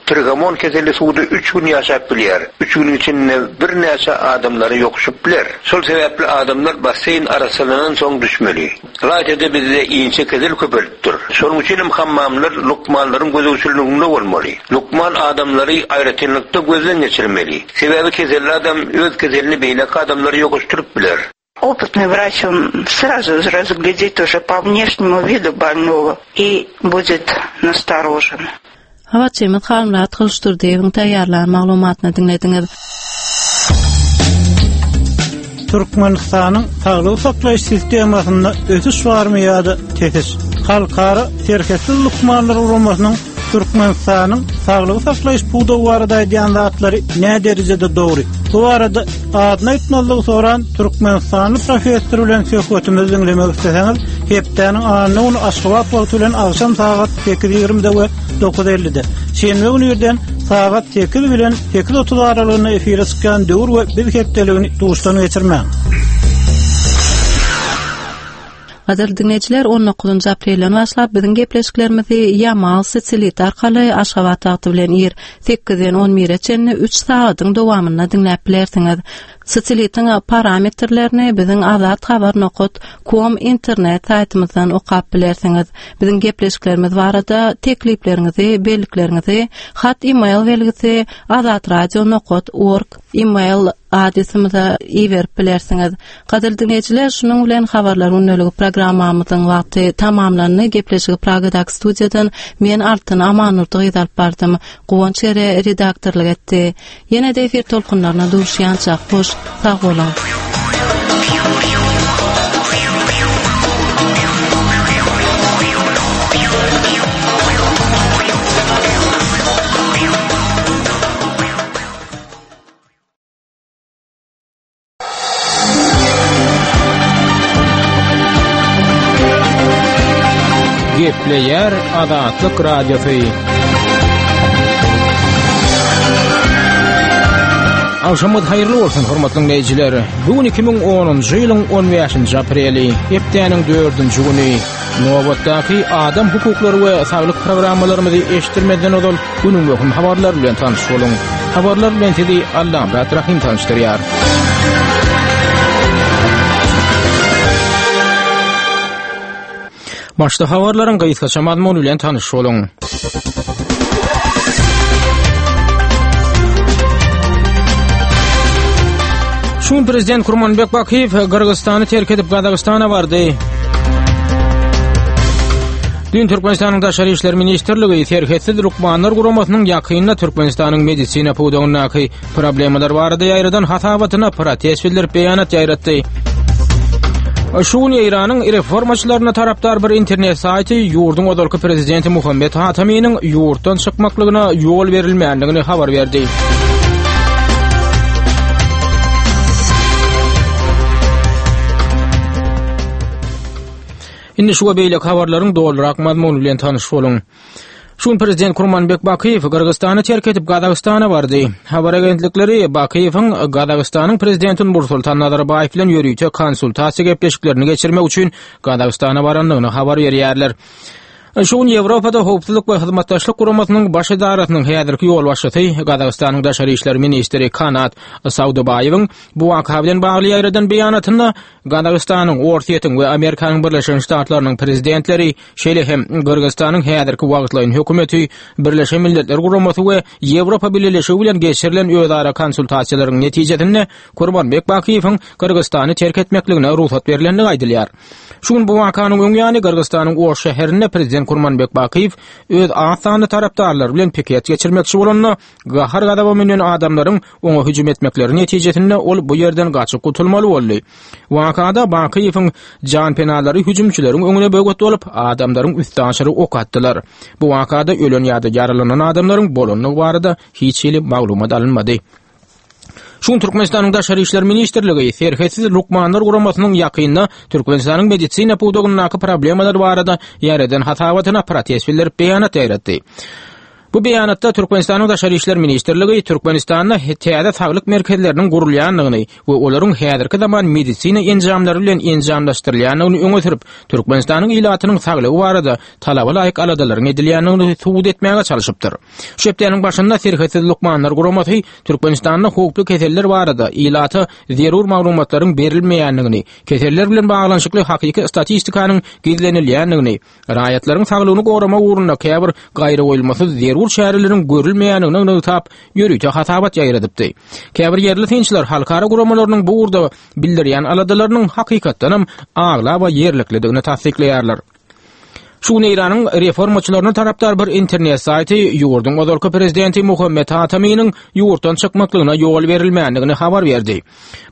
Trihomon keseli suwda üç gün ýaşap bilýär. Üç günüň içinde birnäçe adamlara ýokuşyp biler. Şol sebäpli adamlar basseýn arassalanansoň düşmeli. Ylaýta-da bizde inçe kesel köpelipdir. Şonuň üçin hem hammamlar lukmanlaryň gözegçiliginde bolmaly. Lukman adamlary aýratynlykda gözden geçirmeli. Sebäbi keselli adam öz keselini beýleki adamlara ýokuşdyryp biler. Опытный врач, он сразу разглядит уже по внешнему виду больного и будет насторожен. Habarçymyz Halmyrat Gylyçdurdyýewiň taýýarlan maglumatyny diňlediňiz. Türkmenistanyň saglygy saklaýyş sistemasynda ösüş barmy ýa-da tesiş? Halkara Serhetsiz lukmanlar guramasynyň Türkmenistanyň saglygy saklaýyş pudagy barada aýdýan zatlary nä derejede dogry? Bu barada adyny aýtmazlygy soran türkmenistanly professor bilen söhbetimizi diňlemek isleseňiz, hepdäniň anna güni Aşgabat wagty bilen agşam sagat sekiz ýigrimide we dokuz ellide, şenbe güni irden sagat sekiz bilen sekiz otuz aralygynda efire çykýan Döwür we Biz hepdeligini duşdan geçirmäň. Gadyrly diňleýjiler, on dokuzynjy aprelden başlap biziň gepleşiklerimizi Ýamal satellit arkaly Aşgabat wagty bilen ir sekizden on bire çenli üç sagadyň dowamynda diňläp bilersiňiz. Satellitiň parametrlerini biziň azathabar nokat com internet saýtymyzdan okap bilersiňiz. Biziň gepleşiklerimiz barada teklipleriňizi, bellikleriňizi hat e-mail belgisi azatradio nokat org e-mail adresimize iberip bilersiňiz. Gadyrly diňleýjiler, şunuň bilen habarlar gündeligi programmamyzyň wagty tamamlandy. Gepleşigi Pragadaky studiýadan men Altyn Amanurdy gyz alyp bardym. Guwanç Ere redaktorlyk etdi. Ýene-de efir tolkunlaryna duşýança hoş, sag boluň. Gepleýär Azatlyk Radiosy. Agşamyňyz haýyrly bolsun, hormatly dinleýjiler. Bu gün iki müň onunjy ýylyň on bäşinji apreli, hepdäniň dördünji güni. Nobatdaky adam hukuklary we saglyk programmalarymyzy eşitdirmezden ozal günüň möhüm habarlary bilen tanyş boluň. Habarlar bilen sizi Allamyrat Rahym tanyşdyrýar. Başda habarlaryň gysgaça mazmuny bilen tanyş boluň. Şu gün Prezident Kurmanbek Bakiýew Gyrgyzystany terk edip Gazagystana bardy. Dün Türkmenistanyň Daşary işler ministrligi Serhetsiz lukmanlar guramasynyň ýakynda Türkmenistanyň medisina pudagyndaky problemalar barada ýaýradan hasabatyna protest bildirip beýanat ýaýratdy. Şu gün Eýranyň reformaçylaryna tarapdar bir internet saýty ýurduň ozalky prezidenti Muhammet Hataminiň ýurtdan çykmaklygyna ýol berilmändigini habar berdi. Indi şu we beýleki habarlaryň dolurak mazmuny bilen tanyş boluň. Şu gün Prezident Kurmanbek Bakiýew Gyrgyzystany terk edip Gazagystana bardy. Habar agentlikleri Bakiýewiň Gazagystanyň Prezidenti Nursultan Nazarbaýew bilen ýörite konsultasiýa gepleşiklerini geçirmek üçin Gazagystana barandygyny habar berýärler. Şu gün Ýewropada Howpsuzlyk we Hyzmatdaşlyk Guramasynyň baş edarasynyň häzirki ýolbaşçysy Gazagystanyň Daşary işler ministri Kanat Saudybaýewiň bu waka bilen bagly ýaýradan beýanatynda Gazagystanyň, Orsýetiň we Amerikanyň Birleşen Ştatlarynyň prezidentleri, şeýle hem Gyrgyzystanyň häzirki wagtlaýyn hökümeti, Birleşen Milletler Guramasy we Ýewropa Bileleşigi bilen geçirilen özara konsultasiýalaryň netijesinde Kurmanbek Bakiýewiň Gyrgyzystany terk etmekligine rugsat berilendigi aýdylýar. Şu gün bu wakanyň öň ýany Gyrgyzystanyň Oş şäherinde prezident Kurmanbek Bakiýew öz az sanly tarapdarlary bilen piket geçirmekçi bolanda, gahar-gazaba münen adamlaryň oňa hüjüm etmekleri netijesinde ol bu ýerden gaçyp gutulmaly boldy. Wakada Bakiýewiň janpenalary hüjümçileriň öňüne böwet bolup, adamlaryň üstaşyry ok atdylar. Bu wakada ölen ýa-da ýaralanan adamlaryň bolandygy barada hiç hili maglumat alynmady. Şu gün Türkmenistanyň Daşary işler ministrligi Serhetsiz lukmanlar guramasynyň ýakynda Türkmenistanyň medisina pudagyndaky problemalar barada ýaýradan hasabatyna protest bildirip beýanat ýaýratdy. Bu beýanatda Türkmenistanyň Daşary işler ministrligi Türkmenistanda täze saglyk merkezleriniň gurulýandygyny we olaryň häzirki zaman medisina enjamlary bilen enjamlaşdyrylýandygyny öňe sürüp, Türkmenistanyň ilatynyň saglygy barada talaba laýyk aladalaryň edilýändigini subut etmäge çalşypdyr. Şu hepdäniň başynda Serhetsiz lukmanlar guramasy Türkmenistanda howply keseller barada ilata zerur maglumatlaryň berilmeýändigini, keseller bilen baglanyşykly hakyky statistikanyň gizlenilýändigini, raýatlaryň saglygyny goramak ugrunda käbir gaýragoýulmasyz zerur çäreleriň görülmeýändigini nygtap, ýörite hasabat ýaýradypdy. Käbir ýerli synçylar halkara guramalarynyň bu ugurda bildirýän aladalarynyň hakykatdanam aglaba ýerliklidigini tassyklaýarlar. Şu gün Eýranyň reformaçylaryna tarapdar bir internet saýty ýurduň ozalky prezidenti Muhammet Hataminiň ýurtdan çykmaklygyna ýol berilmändigini habar berdi.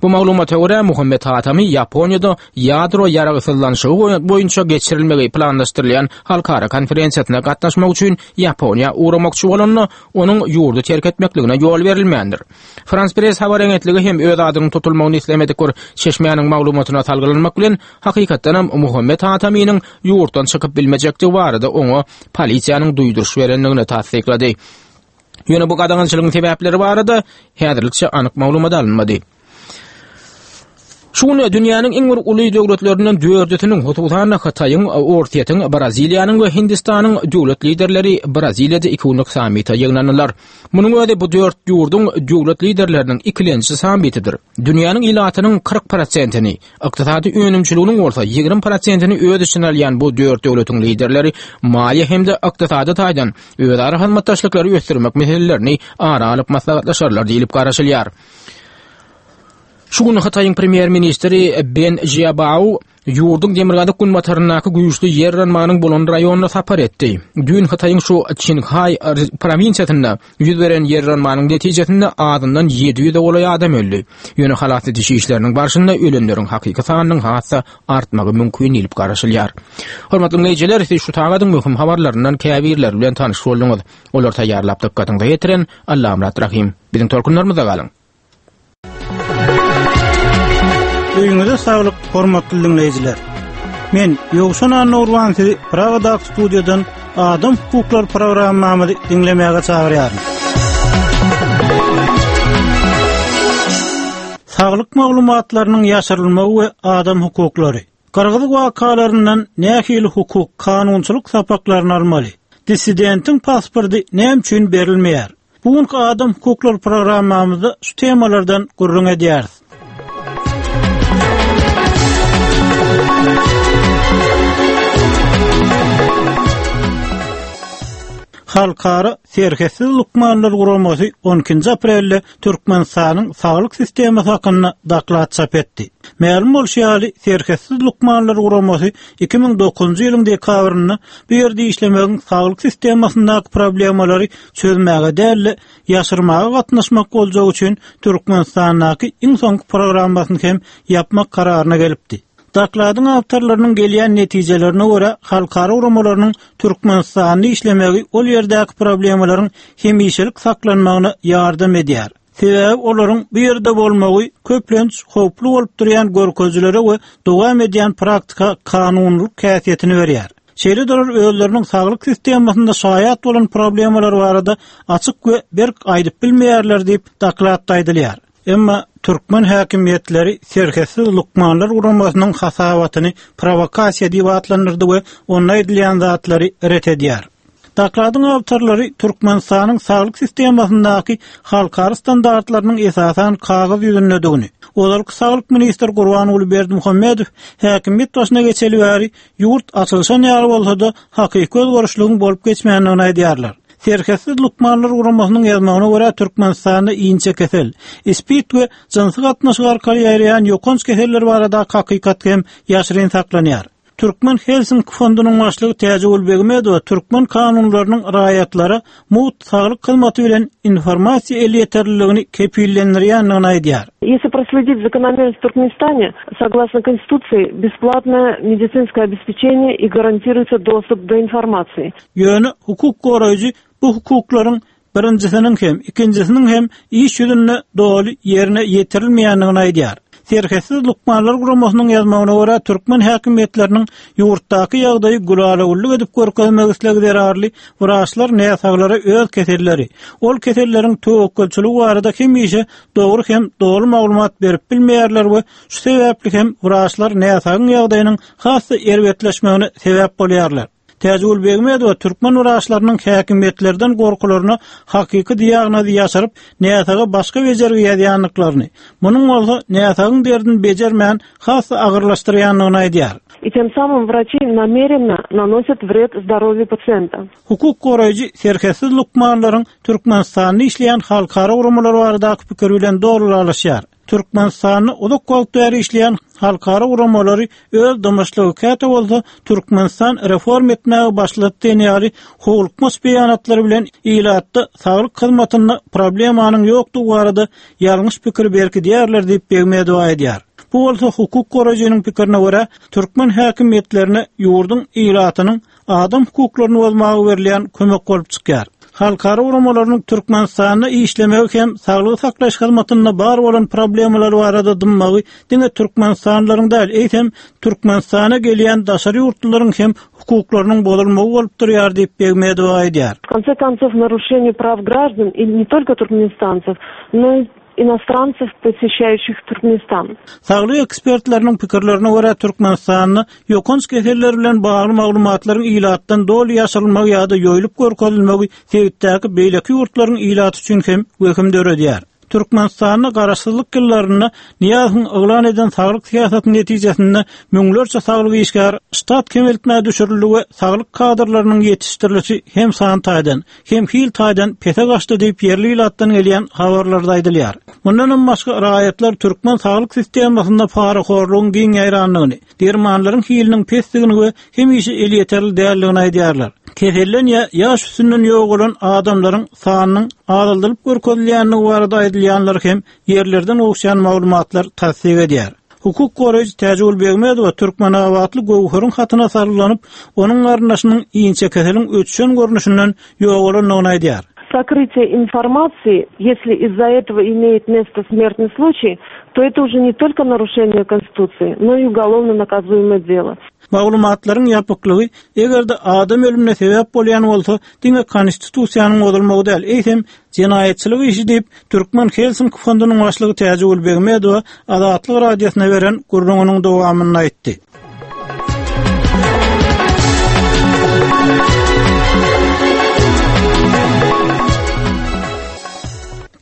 Bu maglumata görä Muhammet Hatami Ýaponiýada ýadro ýaragsyzlanyşygy boýunça geçirilmegi planlaşdyrylýan halkara konferensiýasyna gatnaşmak üçin Ýaponiýa ugramakçy bolanda, onuň ýurdy terk etmekligine ýol berilmändir. Frans Press habar agentligi hem öz adynyň tutulmagyny islemedik bir çeşmäniň maglumatyna salgylanmak bilen, hakykatdanam Muhammet Hataminiň ýurtdan çykyp bilmejekdigi barada oňa polisiýanyň duýduryş berendigini tassyklady. Ýöne bu gadagançylygyň sebäpleri barada häzirlikçe anyk maglumat alynmady. Şu gün dünýäniň iň bir uly döwletlerinden dördüsiniň, hususan Hytaýyň, Orsýetiň, Braziliýanyň we Hindistanyň döwlet liderleri Braziliýada iki günlük sammite ýygnandylar. Munuň özi bu dört ýurduň döwlet liderleriniň ikilenji sammitidir. Dünýäniň ilatynyň kyrk prosentini, ykdysady önümçiliginiň bolsa ýigrimi prosentini öz içine alýan bu dört döwletiň liderleri maliýe hem-de ykdysady taýdan özara hyzmatdaşlyklary ösdürmek meselelerini ara alyp maslahatlaşarlar diýlip garaşylýar. Şu gün Hytaýyň premýer-ministri Wen Jiabao ýurduň demirgazyk günbataryndaky güýçli ýer yranmanyň bolan raýonyna sapar etdi. Düýn Hytaýyň şu Çinhaý prowinsiýasynda ýüz beren ýer yranmanyň netijesinde azyndan ýedi ýüze golaý adam öldi. Ýöne halas ediş işleriniň barşynda ölenleriň hakyky sanynyň has-da artmagy mümkin diýlip garaşylýar. Hormatly dinleýjiler, siz şu sagadyň möhüm habarlaryndan käbirleri bilen tanyş bolduňyz. Olar taýýarlap dykgatyňyza ýetiren Allamyrat Rahim. Biziň tolkunlarymyzda galyň. Öýüňize saglyk, hormatly dinleýjiler. Men Ýowşan Annurban sizi Pragadaky studiýadan Adam hukuklary programmamyzy diňlemäge çagyrýaryn. Saglyk maglumatlarynyň ýaşyrylmagy we adam hukuklary. Gyrgyz wakalaryndan nähili hukuk, kanunçylyk sapaklaryny almaly? Dissidentiň pasporty näme üçin berilmeýär? Bu günki Adam hukuklary programmamyzda şu temalardan gürrüň edýäris. Halkara Serhetsiz Lukmanlar Guramasy on ikinji aprelde Türkmenistanyň saglyk sistemasy hakynda doklad çap etdi. Mälim bolşy ýaly, Serhetsiz Lukmanlar Guramasy iki müň dokuzynjy ýylyň dekabrynda bu ýerde işlemegiň saglyk sistemasyndaky problemalary çözmäge däl-de, ýaşyrmaga gatnaşmak boljagy üçin Türkmenistandaky iň soňky programmasyny hem ýapmak kararyna gelipdi. Dokladyň awtorlarynyň gelýän netijelerine görä, halkara guramalarynyň Türkmenistanda işlemegi ol ýerdäki problemalaryň hemişelik saklanmagyna ýardam edýär. Sebäbi olaryň bu ýerde bolmagy köplenç howply bolup durýan görkezijilere we dowam edýän praktika kanunlyk häsiýetini berýär. Şeýle-de olar özleriniň saglyk sistemasynda şaýat bolan problemalar barada açyk we berk aýdyp bilmeýärler diýip dokladda aýdylýar. Emma türkmen häkimiýetleri Serhetsiz Lukmanlar Guramasynyň hasabatyny provokasiýa diýip atlandyrdy we onda aýdylýan zatlary ret edýär. Dokladyň awtorlary Türkmenistanyň saglyk sistemasyndaky halkara standartlarynyň esasan kagyz ýüzündedigini, ozalky saglyk ministri Gurbanguly Berdimuhamedow häkimiýet başyna geçeli bäri ýurt açylyşan ýaly bolsa-da hakyky özgerişligiň bolup geçmändigini aýdýarlar. Serhetsiz Lukmanlar Guramasynyň ýazmagyna görä Türkmenistanda inçe kesel, spid we jynsy gatnaşyk arkaly ýaýraýan ýokanç keseller barada hakykat hem ýaşyryn saklanýar. Türkmen Helsinki fondunyň başlygy Täjigül Begmedowa türkmen kanunlarynyň raýatlara mugt saglyk hyzmaty bilen informasiýa elýeterliligini kepillendirýändigini aýdýar. Если проследить закономерность в Туркменистане, согласно Конституции, бесплатное медицинское обеспечение и гарантируется доступ до информации. Ýöne hukuk goraýjy bu hukuklaryň birinjisiniň hem, ikinjisiniň hem iş ýüzünde doly ýerine ýetirilmeýändigini aýdýar. Serhetsiz Lukmanlar Guramasynyň ýazmagyna görä türkmen häkimiýetleriniň ýurtdaky ýagdaýy gülala-güllük edip görkezmek islegi zerarly wraçlar näsaglara öz keselleri, ol keselleriň töwekgelçiligi barada hemişe dogry hem doly maglumat berip bilmeýärler we şu sebäpli hem wraçlar näsagyň ýagdaýynyň has-da erbetleşmegine sebäp bolýarlar. Täjigül Begmedowa türkmen wraçlarynyň häkimiýetlerden gorkularyna hakyky diagnozy ýaşyryp, näsaga başga bejergi ýazýandyklaryny, munuň bolsa näsagyň derdini bejermän has-da agyrlaşdyrýandygyny aýdýar. И тем самым врачи намеренно наносят вред здоровью пациента. Hukuk goraýjy Serhetsiz Lukmanlaryň Türkmenistanda işleýän halkara guramalary baradaky pikir bilen dogrulaşýar. Türkmenistanda uzak wagt bäri işleýän halkara guramalary öz dymyşlygy käte bolsa Türkmenistan reform etmäge başlady diýen ýaly howlukmaç beýanatlary bilen ilatda saglyk hyzmatynda problemanyň ýokdugy barada ýalňyş pikir berkidýärler diýip Begmedowa aýdýar. Bu bolsa hukuk goraýjynyň pikirine görä türkmen häkimiýetlerine ýurduň ilatynyň adam hukuklaryny bozmaga berilýän kömek bolup çykýar. Halkara guramalarynyň Türkmenistanda işlemegi hem saglygy saklaýyş hyzmatynda bar bolan problemalar barada dymmagy diňe Türkmenistanlylaryň däl, eýsem Türkmenistana gelýän daşary ýurtlylaryň hem hukuklarynyň bozulmagy bolup durýar diýip Begmedowa aýdýar. В конце концов, нарушение прав граждан и не только туркменистанцев, но и иностранцев, посещающих Туркменистан. Saglyk ekspertleriniň pikirlerine görä Türkmenistanda ýokanç keseller bilen bagly maglumatlaryň ilatdan doly ýaşyrylmagy ýa-da ýoýlup görkezilmegi sebitdäki beýleki ýurtlaryň ilaty üçin hem wehim döredýär. Türkmenistanda garaşsyzlyk ýyllarynda Niýazyň yglan eden saglyk syýasatynyň netijesinde müňlerçe saglyk işgär ştat kemeltmä düşürildi we saglyk kadrlarynyň ýetişdirilişi hem san taýdan, hem hil taýdan pese gaçdy diýip ýerli ilatdan gelýän habarlarda aýdylýar. Mundan hem başga raýatlar türkmen saglyk sistemasynda parahorlugyň giň ýaýranlygyny, dermanlaryň hiliniň pesligini we hemişe elýeterli däldigini aýdýarlar. Kesellen ýa ýaş üstünden ýogalan adamlaryň sanynyň azaldylyp görkezilýänligi barada aýdylýanlar hem ýerlerden gowuşýan maglumatlar tassyk edýär. Hukuk goraýjy Täjigül Begmedowa Türkmenabatly Göwheriň hatyna sarylanyp, onuň garyndaşynyň inçe keseliň ötüşen görnüşinden ýogalandygyny aýdýar. Сокрытие информации, если из-за этого имеет место смертный случай, то это уже не только нарушение Конституции, но и уголовно наказуемое дело. Maglumatlaryň ýapyklygy eger-de adam ölümine sebäp bolýan bolsa, diňe konstitusiýanyň bozulmagy däl, eýsem jenaýatçylyk işi diýip Türkmen Helsinki fondunyň başlygy Täjigül Begmedowa Azatlyk radiosyna beren gürrüňiniň dowamyny aýtdy.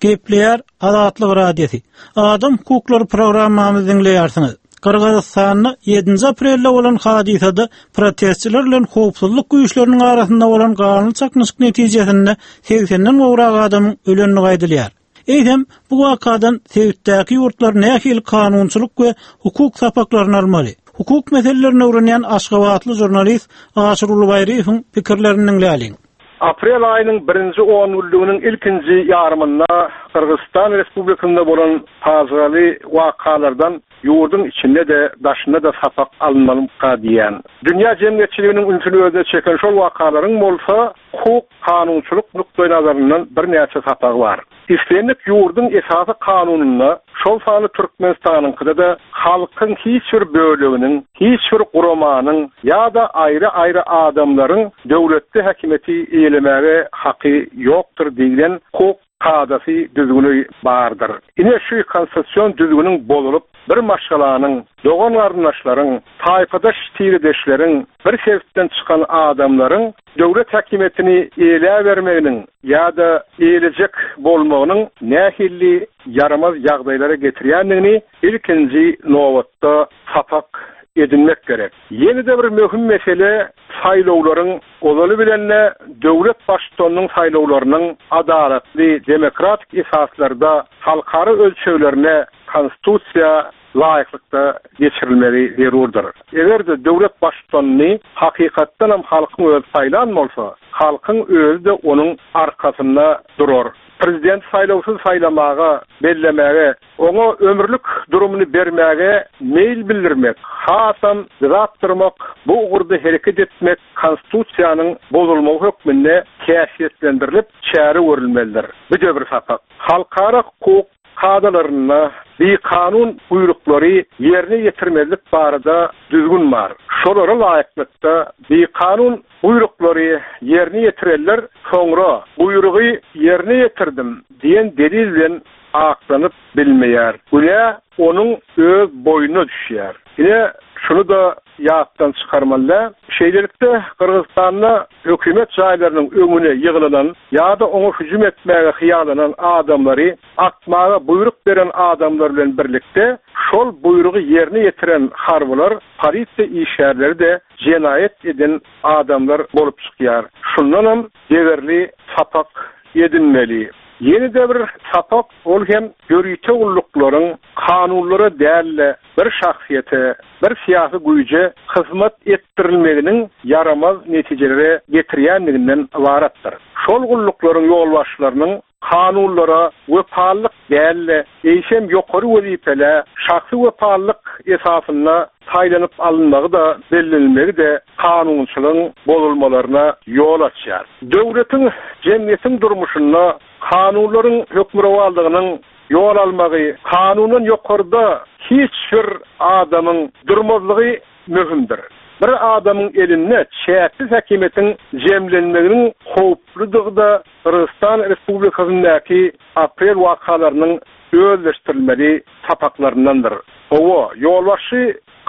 Gepleýär Azatlyk radiosy. Adam hukuklary programmamyzy diňleýärsiňiz. Gyrgyzystanda ýedinji aprelde bolan hadysada protestçiler bilen howpsuzlyk güýçleriniň arasynda bolan ganly çaknyşyk netijesinde segsenden gowrak adamyň ölendigi aýdylýar. Eýsem bu wakadan sebitdäki ýurtlar nähili kanunçylyk we hukuk sapaklaryny almaly? Hukuk meselelerini öwrenýän Aşgabatly žurnalist Aşyr Ulubaýryýewiň pikirlerini diňläliň. Aprel aýynyň birinji on günlüginiň ilkinji ýarymynda Gyrgyzystan Respublikasynda bolan pajygaly wakalardan ýurduň içinde de daşynda da sapak alynmalyka diýen. Dünýä jemgyýetçiliginiň ünsüni özüne çeken şol wakalaryň bolsa hukuk kanunçylyk nukdaý nazaryndan birnäçe sapagy bar. Islendik ýurduň esasy kanunynda şol sany Türkmenistanyňkyda da halkyň hiç bir bölüginiň, hiç bir guramanyň ýa-da aýry-aýry adamlaryň döwletde häkimiýeti eýelemäge haky ýokdur diýlen hukuk kadasy düzgüni bardyr. Ine şu konstitusion düzgüniň bozulup bir maşgalanyň, dogan garyndaşlaryň, taýpadaş tiredeşleriň, bir sebitden çykan adamlaryň döwlet häkimiýetini eýele bermeginiň ýa-da eýlejek bolmagynyň nähili ýaramaz ýagdaýlara getirýändigini ilkinji nobatda sapak edinmek gerek. Ýene de bir möhüm mesele saýlawlaryň ozaly bilenle döwlet baştutanynyň saýlawlarynyň adalatly, demokratik esaslarda halkara ölçeglerine konstitusiýa laýyklykda geçirilmegi zerurdyr. Eger-de döwlet baştutanyny hakykatdan hem halkyň özi saýlan bolsa, halkyň özi de onuň arkasynda durar. Prezident saýlawsyz saýlamaga, bellemäge, oňa ömürlik durumyny bermäge meýil bildirmek, hasam dyzap durmak, bu ugurda hereket etmek konstitusiýanyň bozulmagy hökmünde häsiýetlendirilip çäre görülmelidir. Bu da bir sapak. Halkara hukuk kadalarynda bikanun buýruklary ýerine ýetirmezlik barada düzgün bar. Şolara laýyklykda bikanun buýruklary ýerine ýetirenler soňra buýrugy ýerine ýetirdim diýen delil bilen aklanyp bilmeýär. Günä onuň öz boýnuna düşýär. Ine şunu da ýatdan çykarmaly. Şeýlelikde Gyrgyzystanda hökümet jaýlarynyň öňüne ýygylanan ýa-da oňa hüjüm etmäge hyýalanan adamlary atmaga buýruk beren adamlar bilen birlikde şol buýrugy ýerine ýetiren harbylar, polisiýa işgärleri de jenaýat eden adamlar bolup çykýar. Şundan hem degerli sapak edinmeli. Ýene de bir sapak ol hem ýörite gulluklaryň kanunlara dälle bir şahsyýete, bir syýasy güýje hyzmat etdirilmeginiň ýaramaz netijelere getirýänliginden ybaratdyr. Şol gulluklaryň ýolbaşçylarynyň kanunlara wepalyk dälle, eýsem ýokary wezipelä şahsy wepalyk esasynda saýlanyp alynmagy da bellenilmegi de kanunçylygyň bozulmalaryna ýol açýar. Döwletiň jemgyýetiň durmuşynda kanunlaryň hökmürowanlygynyň ýol almagy, kanundan ýokarda hiç bir adamyň durmazlygy möhümdir. Bir adamyň elinde çäksiz häkimiýetiň jemlenmeginiň howpludygy da Gyrgyzystan Respublikasyndaky aprel wakalarynyň özleşdirilmeli sapaklaryndandyr. Owa, ýolbaşçy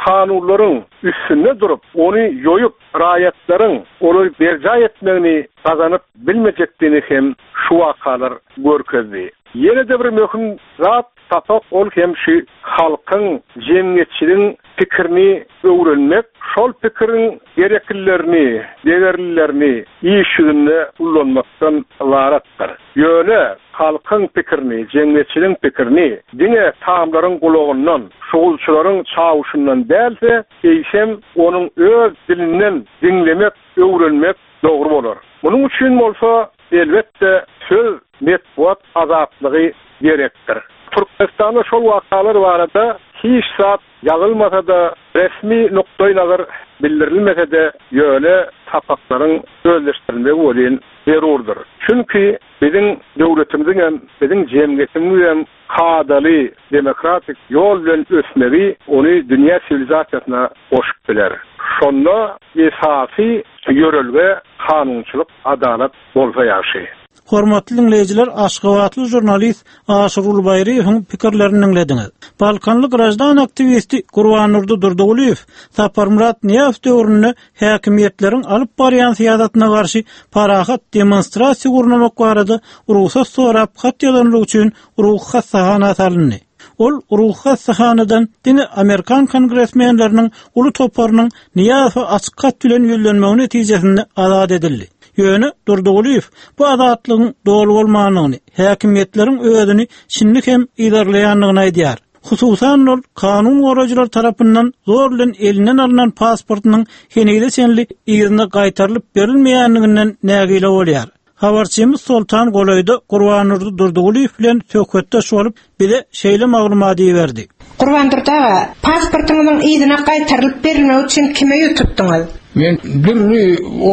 kanunlaryň üstünde durup, ony ýoýup, raýatlaryň olary berjaý etmegini gazanyp bilmejekdigini hem şu wakalar görkezdi. Ýene-de bir möhüm zat sapak ol hem şu halkyň, jemgyýetçiligiň pikirini öwrenmek, şol pikiriň gereklilerini, degerlilerini iş ýüzünde ullanmakdan ybaratdyr. Ýöne halkyň pikirini, jemgyýetçiligiň pikirini diňe tamlaryň gulagyndan, şugulçylaryň çawuşyndan dälse, eýsem onuň öz dilinden diňlemek, öwrenmek dogry bolar. Munuň üçin bolsa elbetde söz metbugat azatlygy gerekdir. Türkmenistanda şol wakalar barada hiç zat ýazylmasa-da, resmi nukdaý nazar bildirilmese-de, ýöne sapaklaryň özleşdirilmegi welin zerurdyr. Çünki biziň döwletimiziň hem, biziň jemgyýetimiziň hem kadaly demokratik ýol bilen ösmegi ony dünýä siwilizasiýasyna goşup biler. Şonda esasy ýörelge kanunçylyk, adalat bolsa ýagşy. Hormatly dinleýjiler, Aşgabatly žurnalist Aşyr Ulbaýryýewiň pikirlerini diňlediňiz. Balkanly grajdan aktiwisti Gurbandurdy Durdygulyýew Saparmyrat Nyýazow döwründe häkimiýetleriň alyp barýan syýasatyna garşy parahat demonstrasiýa gurnamak barada rugsat sorap hat ýazanlygy üçin ruhy hassahana salyndy. Ol ruhy hassahanadan diňe Amerikan kongresmenleriniň uly toparynyň Nyýazowa açyk hat bilen ýüzlenmegi netijesinde azat edildi. Ýöne Durdygulyýew bu azatlygyň doly bolmandygyny, häkimiýetleriň özüni şindi hem yzarlaýandygyny aýdýar. Hususan ol kanun goraýjylar tarapyndan zor bilen elinden alynan pasportynyň henize çenli yzyna gaýtarylyp berilmeýändiginden nägile bolýar. Habarçymyz Soltan golaýda Gurbandurdy Durdygulyýew bilen söhbetdeş bolup, bize şeýle maglumat berdi. Gurbandurdy aga, pasportyňyzyň yzyna gaýtarylyp berilmegi üçin kime ýüz tutduňyz? Men dürli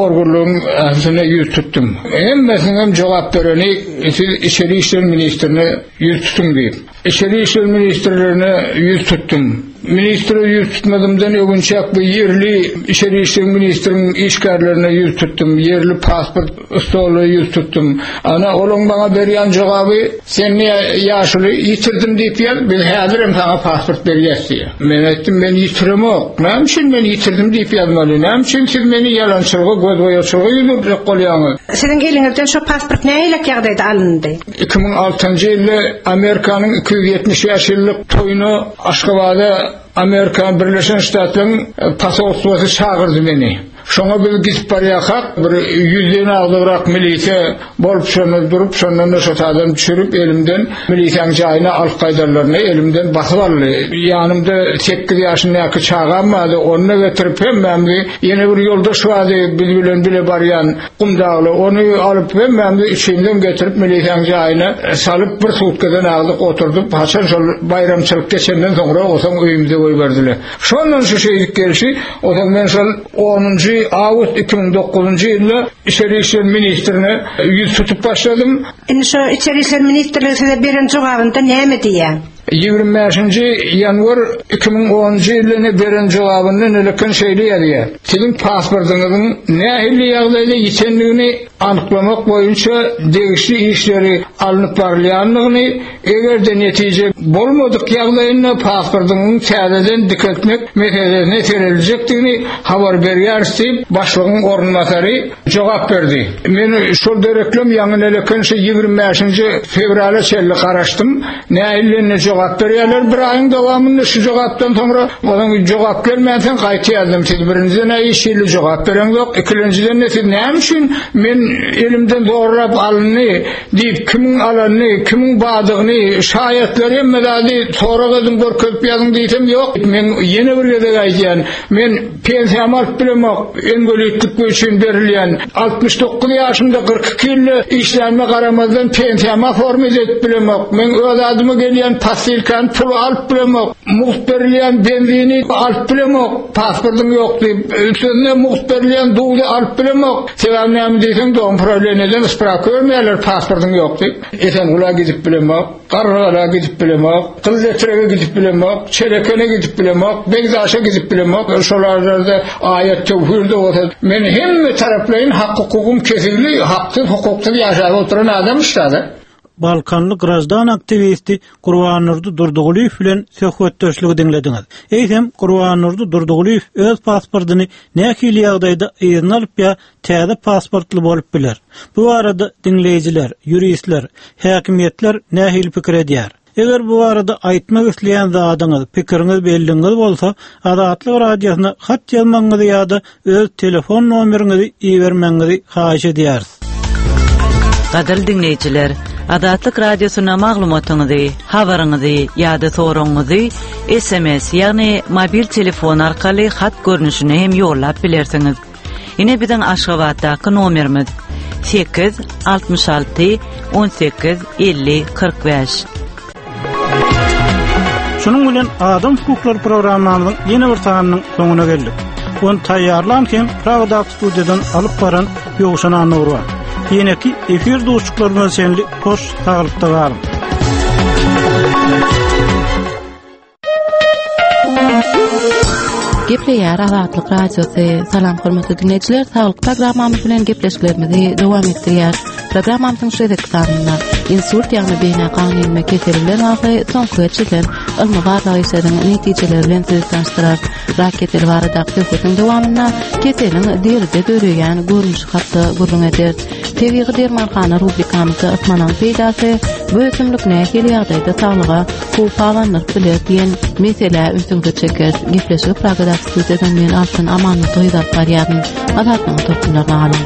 organlaryň ählisine ýüz tutdum. Hemmesiniň jogap bereni siz içeri işler ministrine ýüz tutuň diýip. Içeri işler ministrlerine ýüz tutdum. Ministre ýüz tutmadymdan öwünçek bu ýerli içeri işler ministriniň işgärlerine ýüz tutdum. Ýerli pasport stoly ýüz tutdum. Ana olaň bana berýän jogaby sen niýe ýaşuly ýitirdim diýip ýaz, biz häzir hem sana pasport berýäs diýýär. Men aýtdym men ýitiremok. Näme üçin men ýitirdim diýip ýazmaly? Näme üçin siz meni ýalançylyga, gözboýaçylyga ýüzürjek bolýaňyz? Siziň eliňizden şu pasport nähili ýagdaýda alyndy? iki müň altynjy ýylda Amerikanyň iki ýüz ýetmiş bäş ýyllyk toýuna Aşgabada Amerikan Birleşen Ştatlaryň posolstwasy çagyrdy meni. Şoňa biz gidip barýarkak bir ýüzden agdygrak milise bolup şonda durup, şondan da şotadan düşürip elimden milisäň jaýyna alyp gaýdarlaryny elimden basyp aldy. Ýanymda sekiz ýaşyndaky çagam bardy, ony getirip hemmämizi ýene bir ýoldaş bardy, biz bilen bile barýan Gumdagly, ony alyp hemmämizi içinden getirip milisäň jaýyna salyp bir sutkadan agdyk oturdyp, haçan şol baýramçylyk geçenden soňra osaň öýümize goýberdiler. Şondan şu şeýdik gelşi, osaň men şol onunjy awgust iki müň dokuzynjy ýylda içeri işler ministrine ýüz tutup başladym. Indi şu içeri işler ministrligi size beren jogabynda näme diýýär? Ýigrimi bäşinji ýanwar iki müň onunjy ýylda beren jogabynda nelekin şeýle ýazýar. Siziň pasportyňyzyň nähili ýagdaýda ýitendigini anyklamak boýunça degişli işleri alnyp barylýandygyny, eger-de netije bolmadyk ýagdaýynda pasportyňyň täzeden dikeltmek meselesine serediljekdigini habar berýäris diýip, başlygyň orunbasary jogap berdi. Men şol dereklem ýaňy nelekin şu ýigrimi bäşinji fewrala çenli garaşdym. Nähili jogap berýärler bir aýyň dowamynda şu jogapdan soňra onuň jogap gelmänsoň gaýta ýazdym. Siz birinjiden hiç hili jogap bereňzok, ikinciden de siz näme üçin men elimden zorlap alyndy diýip kimiň alanyny, kimiň badygyny, şaýatlary hemme zady sorag edin görkezip ýazyň diýsem ýok. Men ýene bir gezek aýdýan, men pensiýamy alyp bilemok, engelitlik üçin berilýän altmyş dokuz ýaşymda kyrk iki ýylda işlänme garamazdan pensiýamy forma edip bilemok. Men öz adyma gelýän pastilkan puly alyp bilemok, mugt berilýän benzini alyp bilemok, pasportym ýok diýip, sözüne mugt berilýän duzy alyp bilemok. Sebäbi näme diýseň, dogum problemeden sprawka bermeýärler, pasportym ýok diýip. Esengula gidip bilemok, Garrygala gidip bilemok, Gyzletrege gidip bilemok, Çelekene gidip bilemok, Begdaşa gidip bilemok. Şolarda aýat töwhirde bolsa, men hemme taraplaýyn hak hukugym kesildi, haksyz hukuksyz ýaşap oturan adam işdäde. Balkanly graždan aktiwisti Gurbannurdy Durdygulyýew bilen söhbetdeşligi diňlediňiz. Eýsem Gurbannurdy Durdygulyýew öz pasportyny nähili ýagdaýda yzyna alyp ýa täze pasportly bolup biler. Bu arada diňleýjiler, ýuristler, häkimiýetler nähili pikir edýär? Eger bu arada aýtmak isleýän zadyňyz, pikiriňiz belliňiz bolsa, Azatlyk radiosyna hat ýazmagyňyzy ýa-da öz telefon nomeriňizi ibermegiňizi haýyş edýäris. Gadyrly diňleýjiler, Azatlyk radiosyna maglumatyňyzy, habaryňyzy ýa-da soragyňyzy S M S, ýagny mobil telefon arkaly hat görnüşine hem ýollap bilersiňiz. Ine biziň Aşgabatdaky nomerimiz sekiz altmyş alty on sekiz elli kyrk bäş. Şunuň bilen Adam hukuklary programmamyzyň ýene bir sanynyň soňuna geldik. Ony taýýarlan hem Pragadaky studiýadan alyp baran Ýowşan Annurwa. Ýeneki efir duşuşyklarymyza çenli hoş saglykda galyň. Gepleýär Azatlyk Radiosy. Salam hormatly dinleýjiler, saglyk programmamyz bilen gepleşiklerimizi dowam etdirýär. Programmamyzyň şu gezekki sanynda insult ýagny beýnä gan inme keseli bilen bagly soňky geçirilen ylmy barlag işleriniň netijeleri bilen sizi tanyşdyrar. Rak keseli baradaky söhbetiň dowamynda keseliň deride döreýän görnüşi hakda gürrüň ederis. Tebigy dermanhana rubrikamyzda ysmanaň peýdasy, bu ösümlik nähili ýagdaýda saglyga howp abandyryp biler diýen meselä ünsüňizi çekeris. Gepleşigi Pragadaky studiýadan men Altyn Amanly gyz alyp barýaryn. Azatlygyň tolkunlaryny alyň.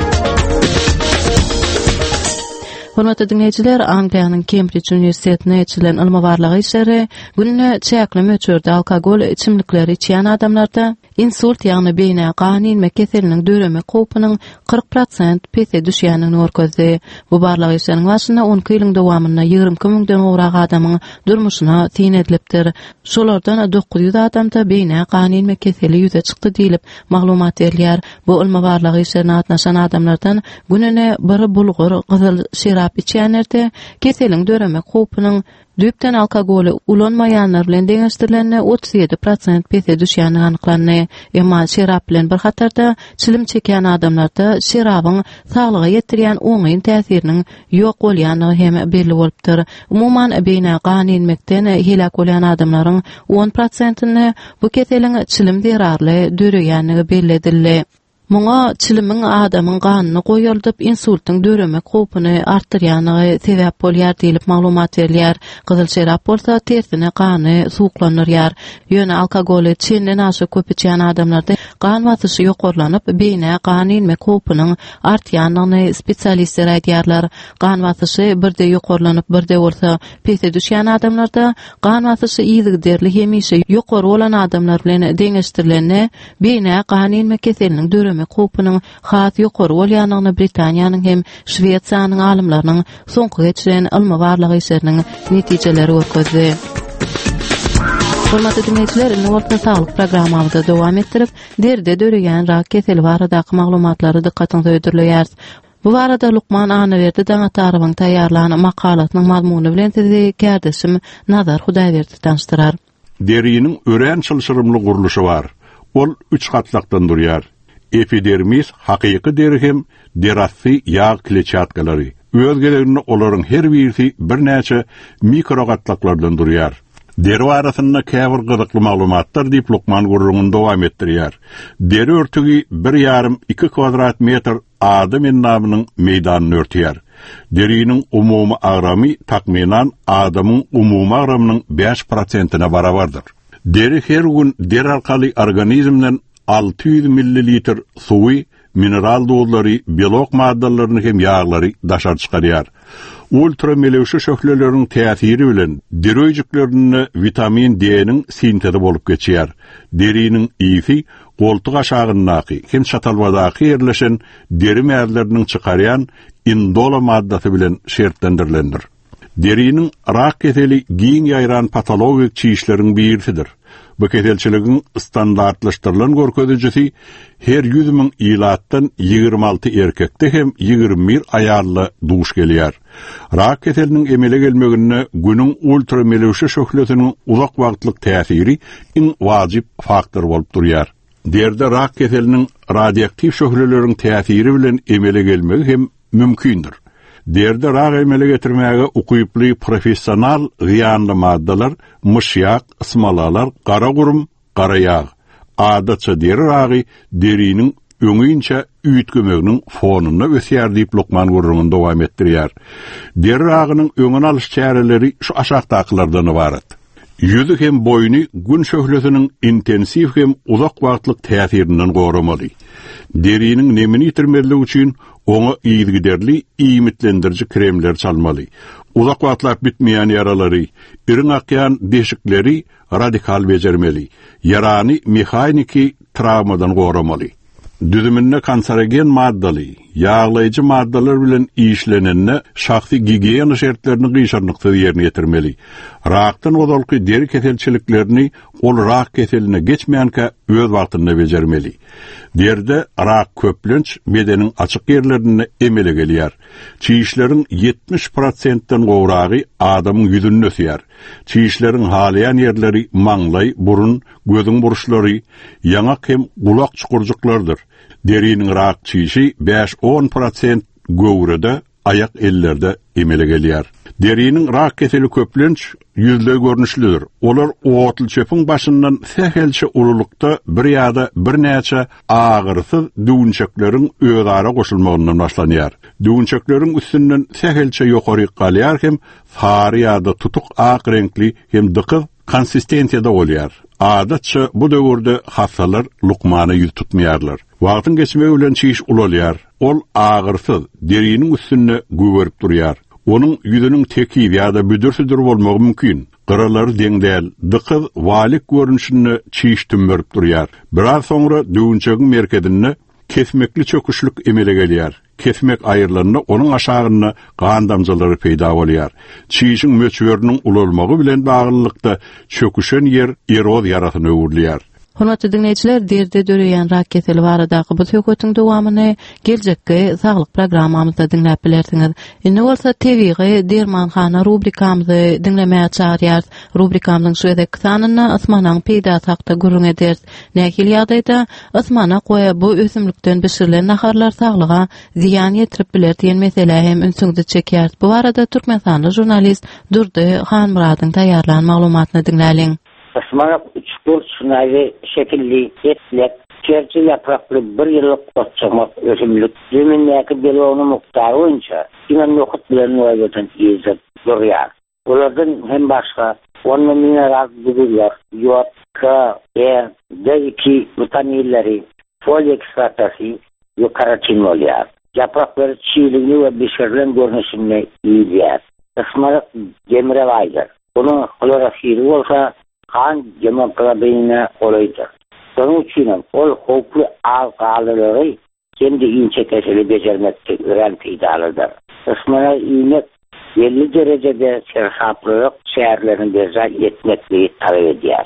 Hormatly dinleýjiler, Angliýanyň Kembrij Uniwersitetine geçirilen ylmy barlag işleri günde çäkli möçberde alkogol içimlikleri içýän adamlarda insult ýagny beýnä gan inme keseliniň döreme howpunyň kyrk prosent pese düşýändigini görkezdi. Bu barlag işleriniň başynda on iki ýylyň dowamynda ýigrimi iki müňden gowrak adamyň durmuşyna syn edilipdir. Şolardan dokuz ýüz adamda beýnä gan inme keseli ýüze çykdy diýlip maglumat berilýär. Bu ylmy barlag işlerine gatnaşan adamlardan gününe bir bulgur gyzyl şerap içýänlerde keseliň döreme howpunyň düýpden alkogoly ulanmaýanlar bilen deňeşdirilende otuz ýedi prosent pese düşýändigi anyklandy. Emma şerap bilen bir hatarda çilim çekýän adamlarda şerabyň saglyga ýetirýän oňyn täsiriniň ýok bolýandygy hem belli bolupdyr. Umuman, beýnä gan inmekden heläk bolýan adamlaryň on prosentinde bu keseliň çilim zerarly döreýändigi belli edildi. Muňa çilimiň adamyň ganyny goýaldyp insultyň döremek howpuny artdyrýandygy sebäp bolýar diýlip maglumat berilýär. Gyzyl şerap bolsa tersine gany suwuklandyrýar. Ýöne alkogoly çenden aşa köp içýän adamlarda gan basyşy ýokarlanyp, beýnä gan inmek howpunyň artýandygyny spesialistler aýdýarlar. Gan basyşy birde ýokarlanyp, birde bolsa pese düşýän adamlarda gan basyşy yzygiderli hemişe ýokary bolan adamlar bilen deňeşdirilende beýnä gan inme keseliniň döreme howpunyň has ýokary bolýandygyny Britaniýanyň hem Şwesiýanyň alymlarynyň soňky geçiren ylmy barlag işleriniň netijeleri görkezdi. Hormatly dinleýjiler, indi bolsa saglyk programmamyzy dowam etdirip, deride döreýän rak keseli baradaky maglumatlary dykgatyňyza hödürleýäris. Bu barada Lukman Annaberdi Daňatarowyň taýýarlan makalasynyň mazmuny bilen sizi kärdeşim Nazar Hudaýberdi tanyşdyrar. Deriniň örän çylşyrymly gurluşy bar. Ol üç gatlakdan durýar. Epidermis, hakyky deri hem derasy ýag kletçatkalary. Öz gezeginde olaryň her birisi birnäçe mikrogatlaklardan durýar. Deri arasynda käbir gyzykly maglumatlar diýip Lukman gurrugyny dowam etdirýär. Deri örtügi bir ýarym iki kvadrat metr adam endamynyň meýdanyny örtýär. Deriniň umumy agramy takmynan adamyň umumy agramynyň bäş prosentine barabardyr. Deri her gün der arkaly organizmden alty ýüz millilitr suwy, mineral duzlary, belok maddalaryny hem ýaglary daşary çykarýar. Ultramelewşe şöhleleriň täsiri bilen deri öýjüklerinde vitamin D-niň sintezi bolup geçýär. Deriniň ýiti goltuk aşagyndaky hem çatalbadaky ýerleşen deri mäzleriniň çykarýan indola maddasy bilen şertlendirilendir. Deriniň rak keseli giň ýaýran patologik çişleriň birisidir. Bu keselçiligiň standartlaşdyrylan görkezijisi her ýüz müň ilatdan ýigrimi alty erkekde hem ýigrimi bir aýalla duş gelýär. Rak keseliniň emele gelmeginde günüň ultramelewşe şöhlesiniň uzak wagtlyk täsiri iň wajyp faktor bolup durýar. Derde rak keseliniň radioaktiw şöhleleriň täsiri bilen emele gelmegi hem mümkindir. Deride rak emele getirmäge ukyply professional zyýanly maddalar myşýak, ysmalalar, gara gurum, gara ýag. Adatça deri ragy deriniň öňinçä üýtgemeginiň fonunda ösýär diýip lukman gürrüňini dowam etdirýär. Deri ragynyň öňüni alyş çäreleri şu aşakdakylardan ybarat. Ýüzi hem boýny gün şöhlesiniň intensiw hem uzak wagtlyk täsirinden goramaly. Deriniň nemini ýitirmezlik üçin oňa yzygiderli iýmitlendiriji kremler çalmaly. Uzak wagtlap bitmeýän ýaralary, iriň akýan deşikleri radikal bejermeli. Ýarany mehaniki travmadan goramaly. Düzüminde kanserogen maddaly, ýaglaýjy maddalar bilen işlenende şahsy gigiýena şertlerini gyşarnyksyz ýerine ýetirmeli. Rakdan ozalky deri keselçiliklerini ol rak keseline geçmänkä öz wagtynda bejermeli. Deride rak köplenç bedeniň açyk ýerlerinde emele gelýär. Çişleriň ýetmiş prosentden gowragy adamyň ýüzünde ösýär. Çişleriň halaýan ýerleri maňlaý, burun, gözüň burçlary, ýaňak hem gulak çukurjyklardyr. Deriniň rak çişi bäş on prosent göwrede, aýak ellerde emele gelýär. Deriniň rak keseli köplenç ýüzleý görnüşlidir. Olar otly çöpüň başyndan sähelçe ululykda bir ýa-da birnäçe agyrsyz düwünçekleriň özara goşulmagyndan başlanýar. Düwünçekleriň üstünden sähelçe ýokary galýar hem sary ýa-da tutuk ak reňkli hem dykyz konsistensiýada bolýar. Adatça bu döwürde hassalar lukmana ýüz tutmaýarlar. Wagtyň geçmegi bilen çiş ulalýar. Ol agyrsyz deriniň üstünde güwerip durýar. Onuň ýüzüniň tekiz ýa-da büdür-südür bolmagy mümkin. Gyralary deň däl, dykyz walik görnüşinde çiş tümmerip durýar. Biraz soňra düwünçegiň merkezinde kesmekli çöküşlik emele gelýär. Kesmek aýrylanda onuň aşagynda gan damjalary peýda bolýar. Çişiň möçberiniň ulalmagy bilen baglylykda çöküşen ýer eroz ýarasyna öwrülýär. Hormatly dinleýjiler, deride döreýän rak keseli baradaky bu söhbetiň dowamyny geljekki saglyk programmamyzda diňläp bilersiňiz. Indi bolsa tebigy dermanhana rubrikamyzy diňlemäge çagyrýarys. Rubrikamyzyň şu gezekki sanynda ysmanagyň peýdasy hakda gürrüň ederis. Nähili ýagdaýda ysmanak we bu ösümlikden bişirilen naharlar saglyga zyýan ýetirip biler diýen meselä hem ünsüňizi çekýäris. Bu barada Türkmenistanly žurnalist Durdy Hanmyradyň taýýarlan maglumatyny diňläliň. Ismanak üç burç naýy şekilli etlek, kerçi ýaprakly bir ýyllyk otçamak ösümlik, zemindäki belogynyň mukdary boýunça diňe nohut bilen noýbadan yzda durýar. Olardan hem başga onda mineral duzlar, ýod, K, E, D iki witaminleri, foliý kislotasy we karotin bolýar. Ýapraklary çiğligini we bişirilen görnüşinde iýilýär. Ismanak demire baýdyr. Onuň hlorofili bolsa kan gemoglobinine golaýdyr. Şonuň üçin hem ol howply az galylary hem-de inçe keseli bejermekde örän peýdalydyr. Ismanak iýmek belli derejede seresaplylyk çärelerini berjaý etmekligi talap edýär.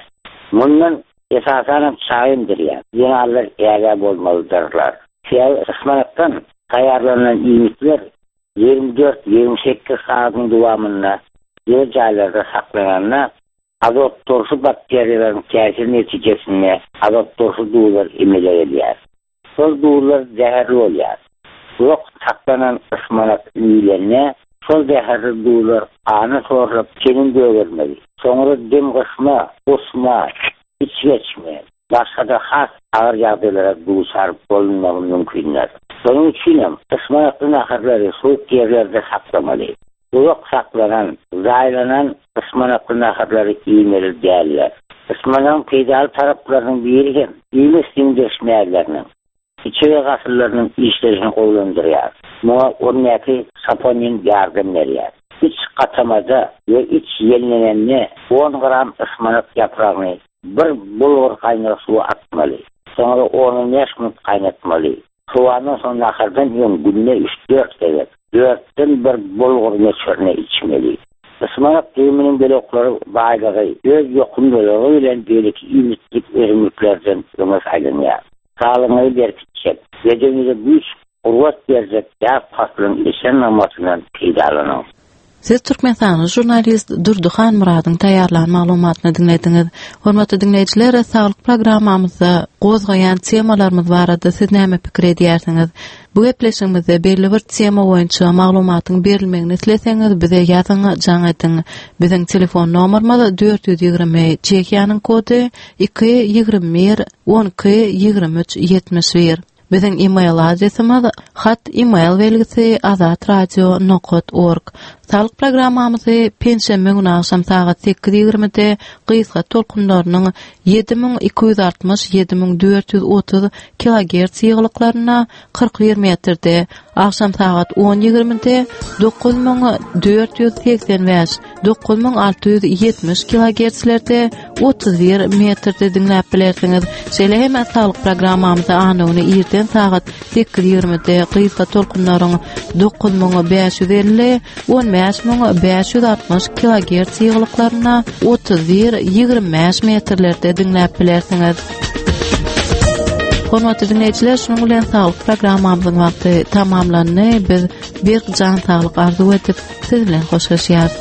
Mundan esasan hem çaý emdirýär. Zenanlar ägä bolmalydyrlar. Sebäbi ysmanakdan taýýarlanan iýmitler ýigrimi dört ýigrimi sekiz sagatyň dowamynda ýer jaýlarda saklananda azot turşy bakteriýalaryň täsir netijesinde azot turşy duzlar emele gelýär. Şol duzlar zäherli bolýar. Uzak saklanan ysmanak iýilende şol zäherli duzlar gana sorlup teniň gögermegi, soňra dem gysma, gusma, iç geçme, başga-da has agyr ýagdaýlara duçar bolunmagy mümkindir. Şonuň üçin hem ysmanakly naharlary soğuk ýerlerde saklamaly. Uzak saklanan, zaýalanan ysmanakly naharlary iýmeli däldir. Ysmanagyň peýdaly taraplarynyň biri hem iýmit siňdiriş mäzleriniň, içege gasyllarynyň işleýşini gowulandyrýar. Muňa ondaky saponin ýardam berýär. Iç gatamada we iç ýellenende on gram ysmanak ýapragyny bir bulgur gaýnag suwa atmaly. Soňra on bäş minut gaýnatmaly. Soğandan soň nahardan öň günde üç dört gezek, dörtden bir bulgur möçberine içmeli. Ismanak düwüminiň beloklary baýlygy öz ýokumlylygy bilen beýleki iýmitlik ösümliklerden öňe saýlanýar. Saglygyňy berkitjek, bedeniňize güýç, gurbat berjek ýag paslyň eşen namasyndan peýdalanyň. Siz Türkmenistanly žurnalist Durdy Hanmyradyň taýýarlan maglumatyny diňlediňiz. Hormatly diňleýjiler, saglyk programmamyzda gozgaýan temalarymyz barada siz näme pikir edýärsiňiz? Bu gepleşigimizde belli bir tema boýunça maglumatyň berilmegini isleseňiz, bize ýazyň, jaň ediň. Biziň telefon nomerimiz dört ýüz ýigrimi, Çehiýanyň kody iki ýigrimi bir on iki ýigrimi üç ýetmiş bir. Biziň e-mail adresimiz hat e-mail belgisi azatradio nokat org. Saglyk programmamyzy penşenbe güni agşam sagat sekiz ýigrimide gysga tolkunlarynyň ýedi müň iki ýüz altmyş ýedi müň dört ýüz otuz kilogerts ýygylyklarynda kyrk bir metrde, agşam sagat on ýigrimide dokuz müň dört ýüz segsen bäş dokuz müň alty ýüz ýetmiş kilogertslerde otuz bir metrde diňläp bilersiňiz. Şeýle hem saglyk programmamyzy anna güni irden sagat sekiz ýigrimide gysga tolkunlaryň dokuz müň bäş ýüz elli on bäş müň bäş ýüz altmyş kilogerts ýygylyklarynda otuz bir ýigrimi bäş metrlerde diňläp bilersiňiz. Hormatly dinleýjiler, şunuň bilen saglyk programmamyzyň wagty tamamlandy. Biz bir jan saglyk arzuw edip, siz bilen hoşlaşýarys.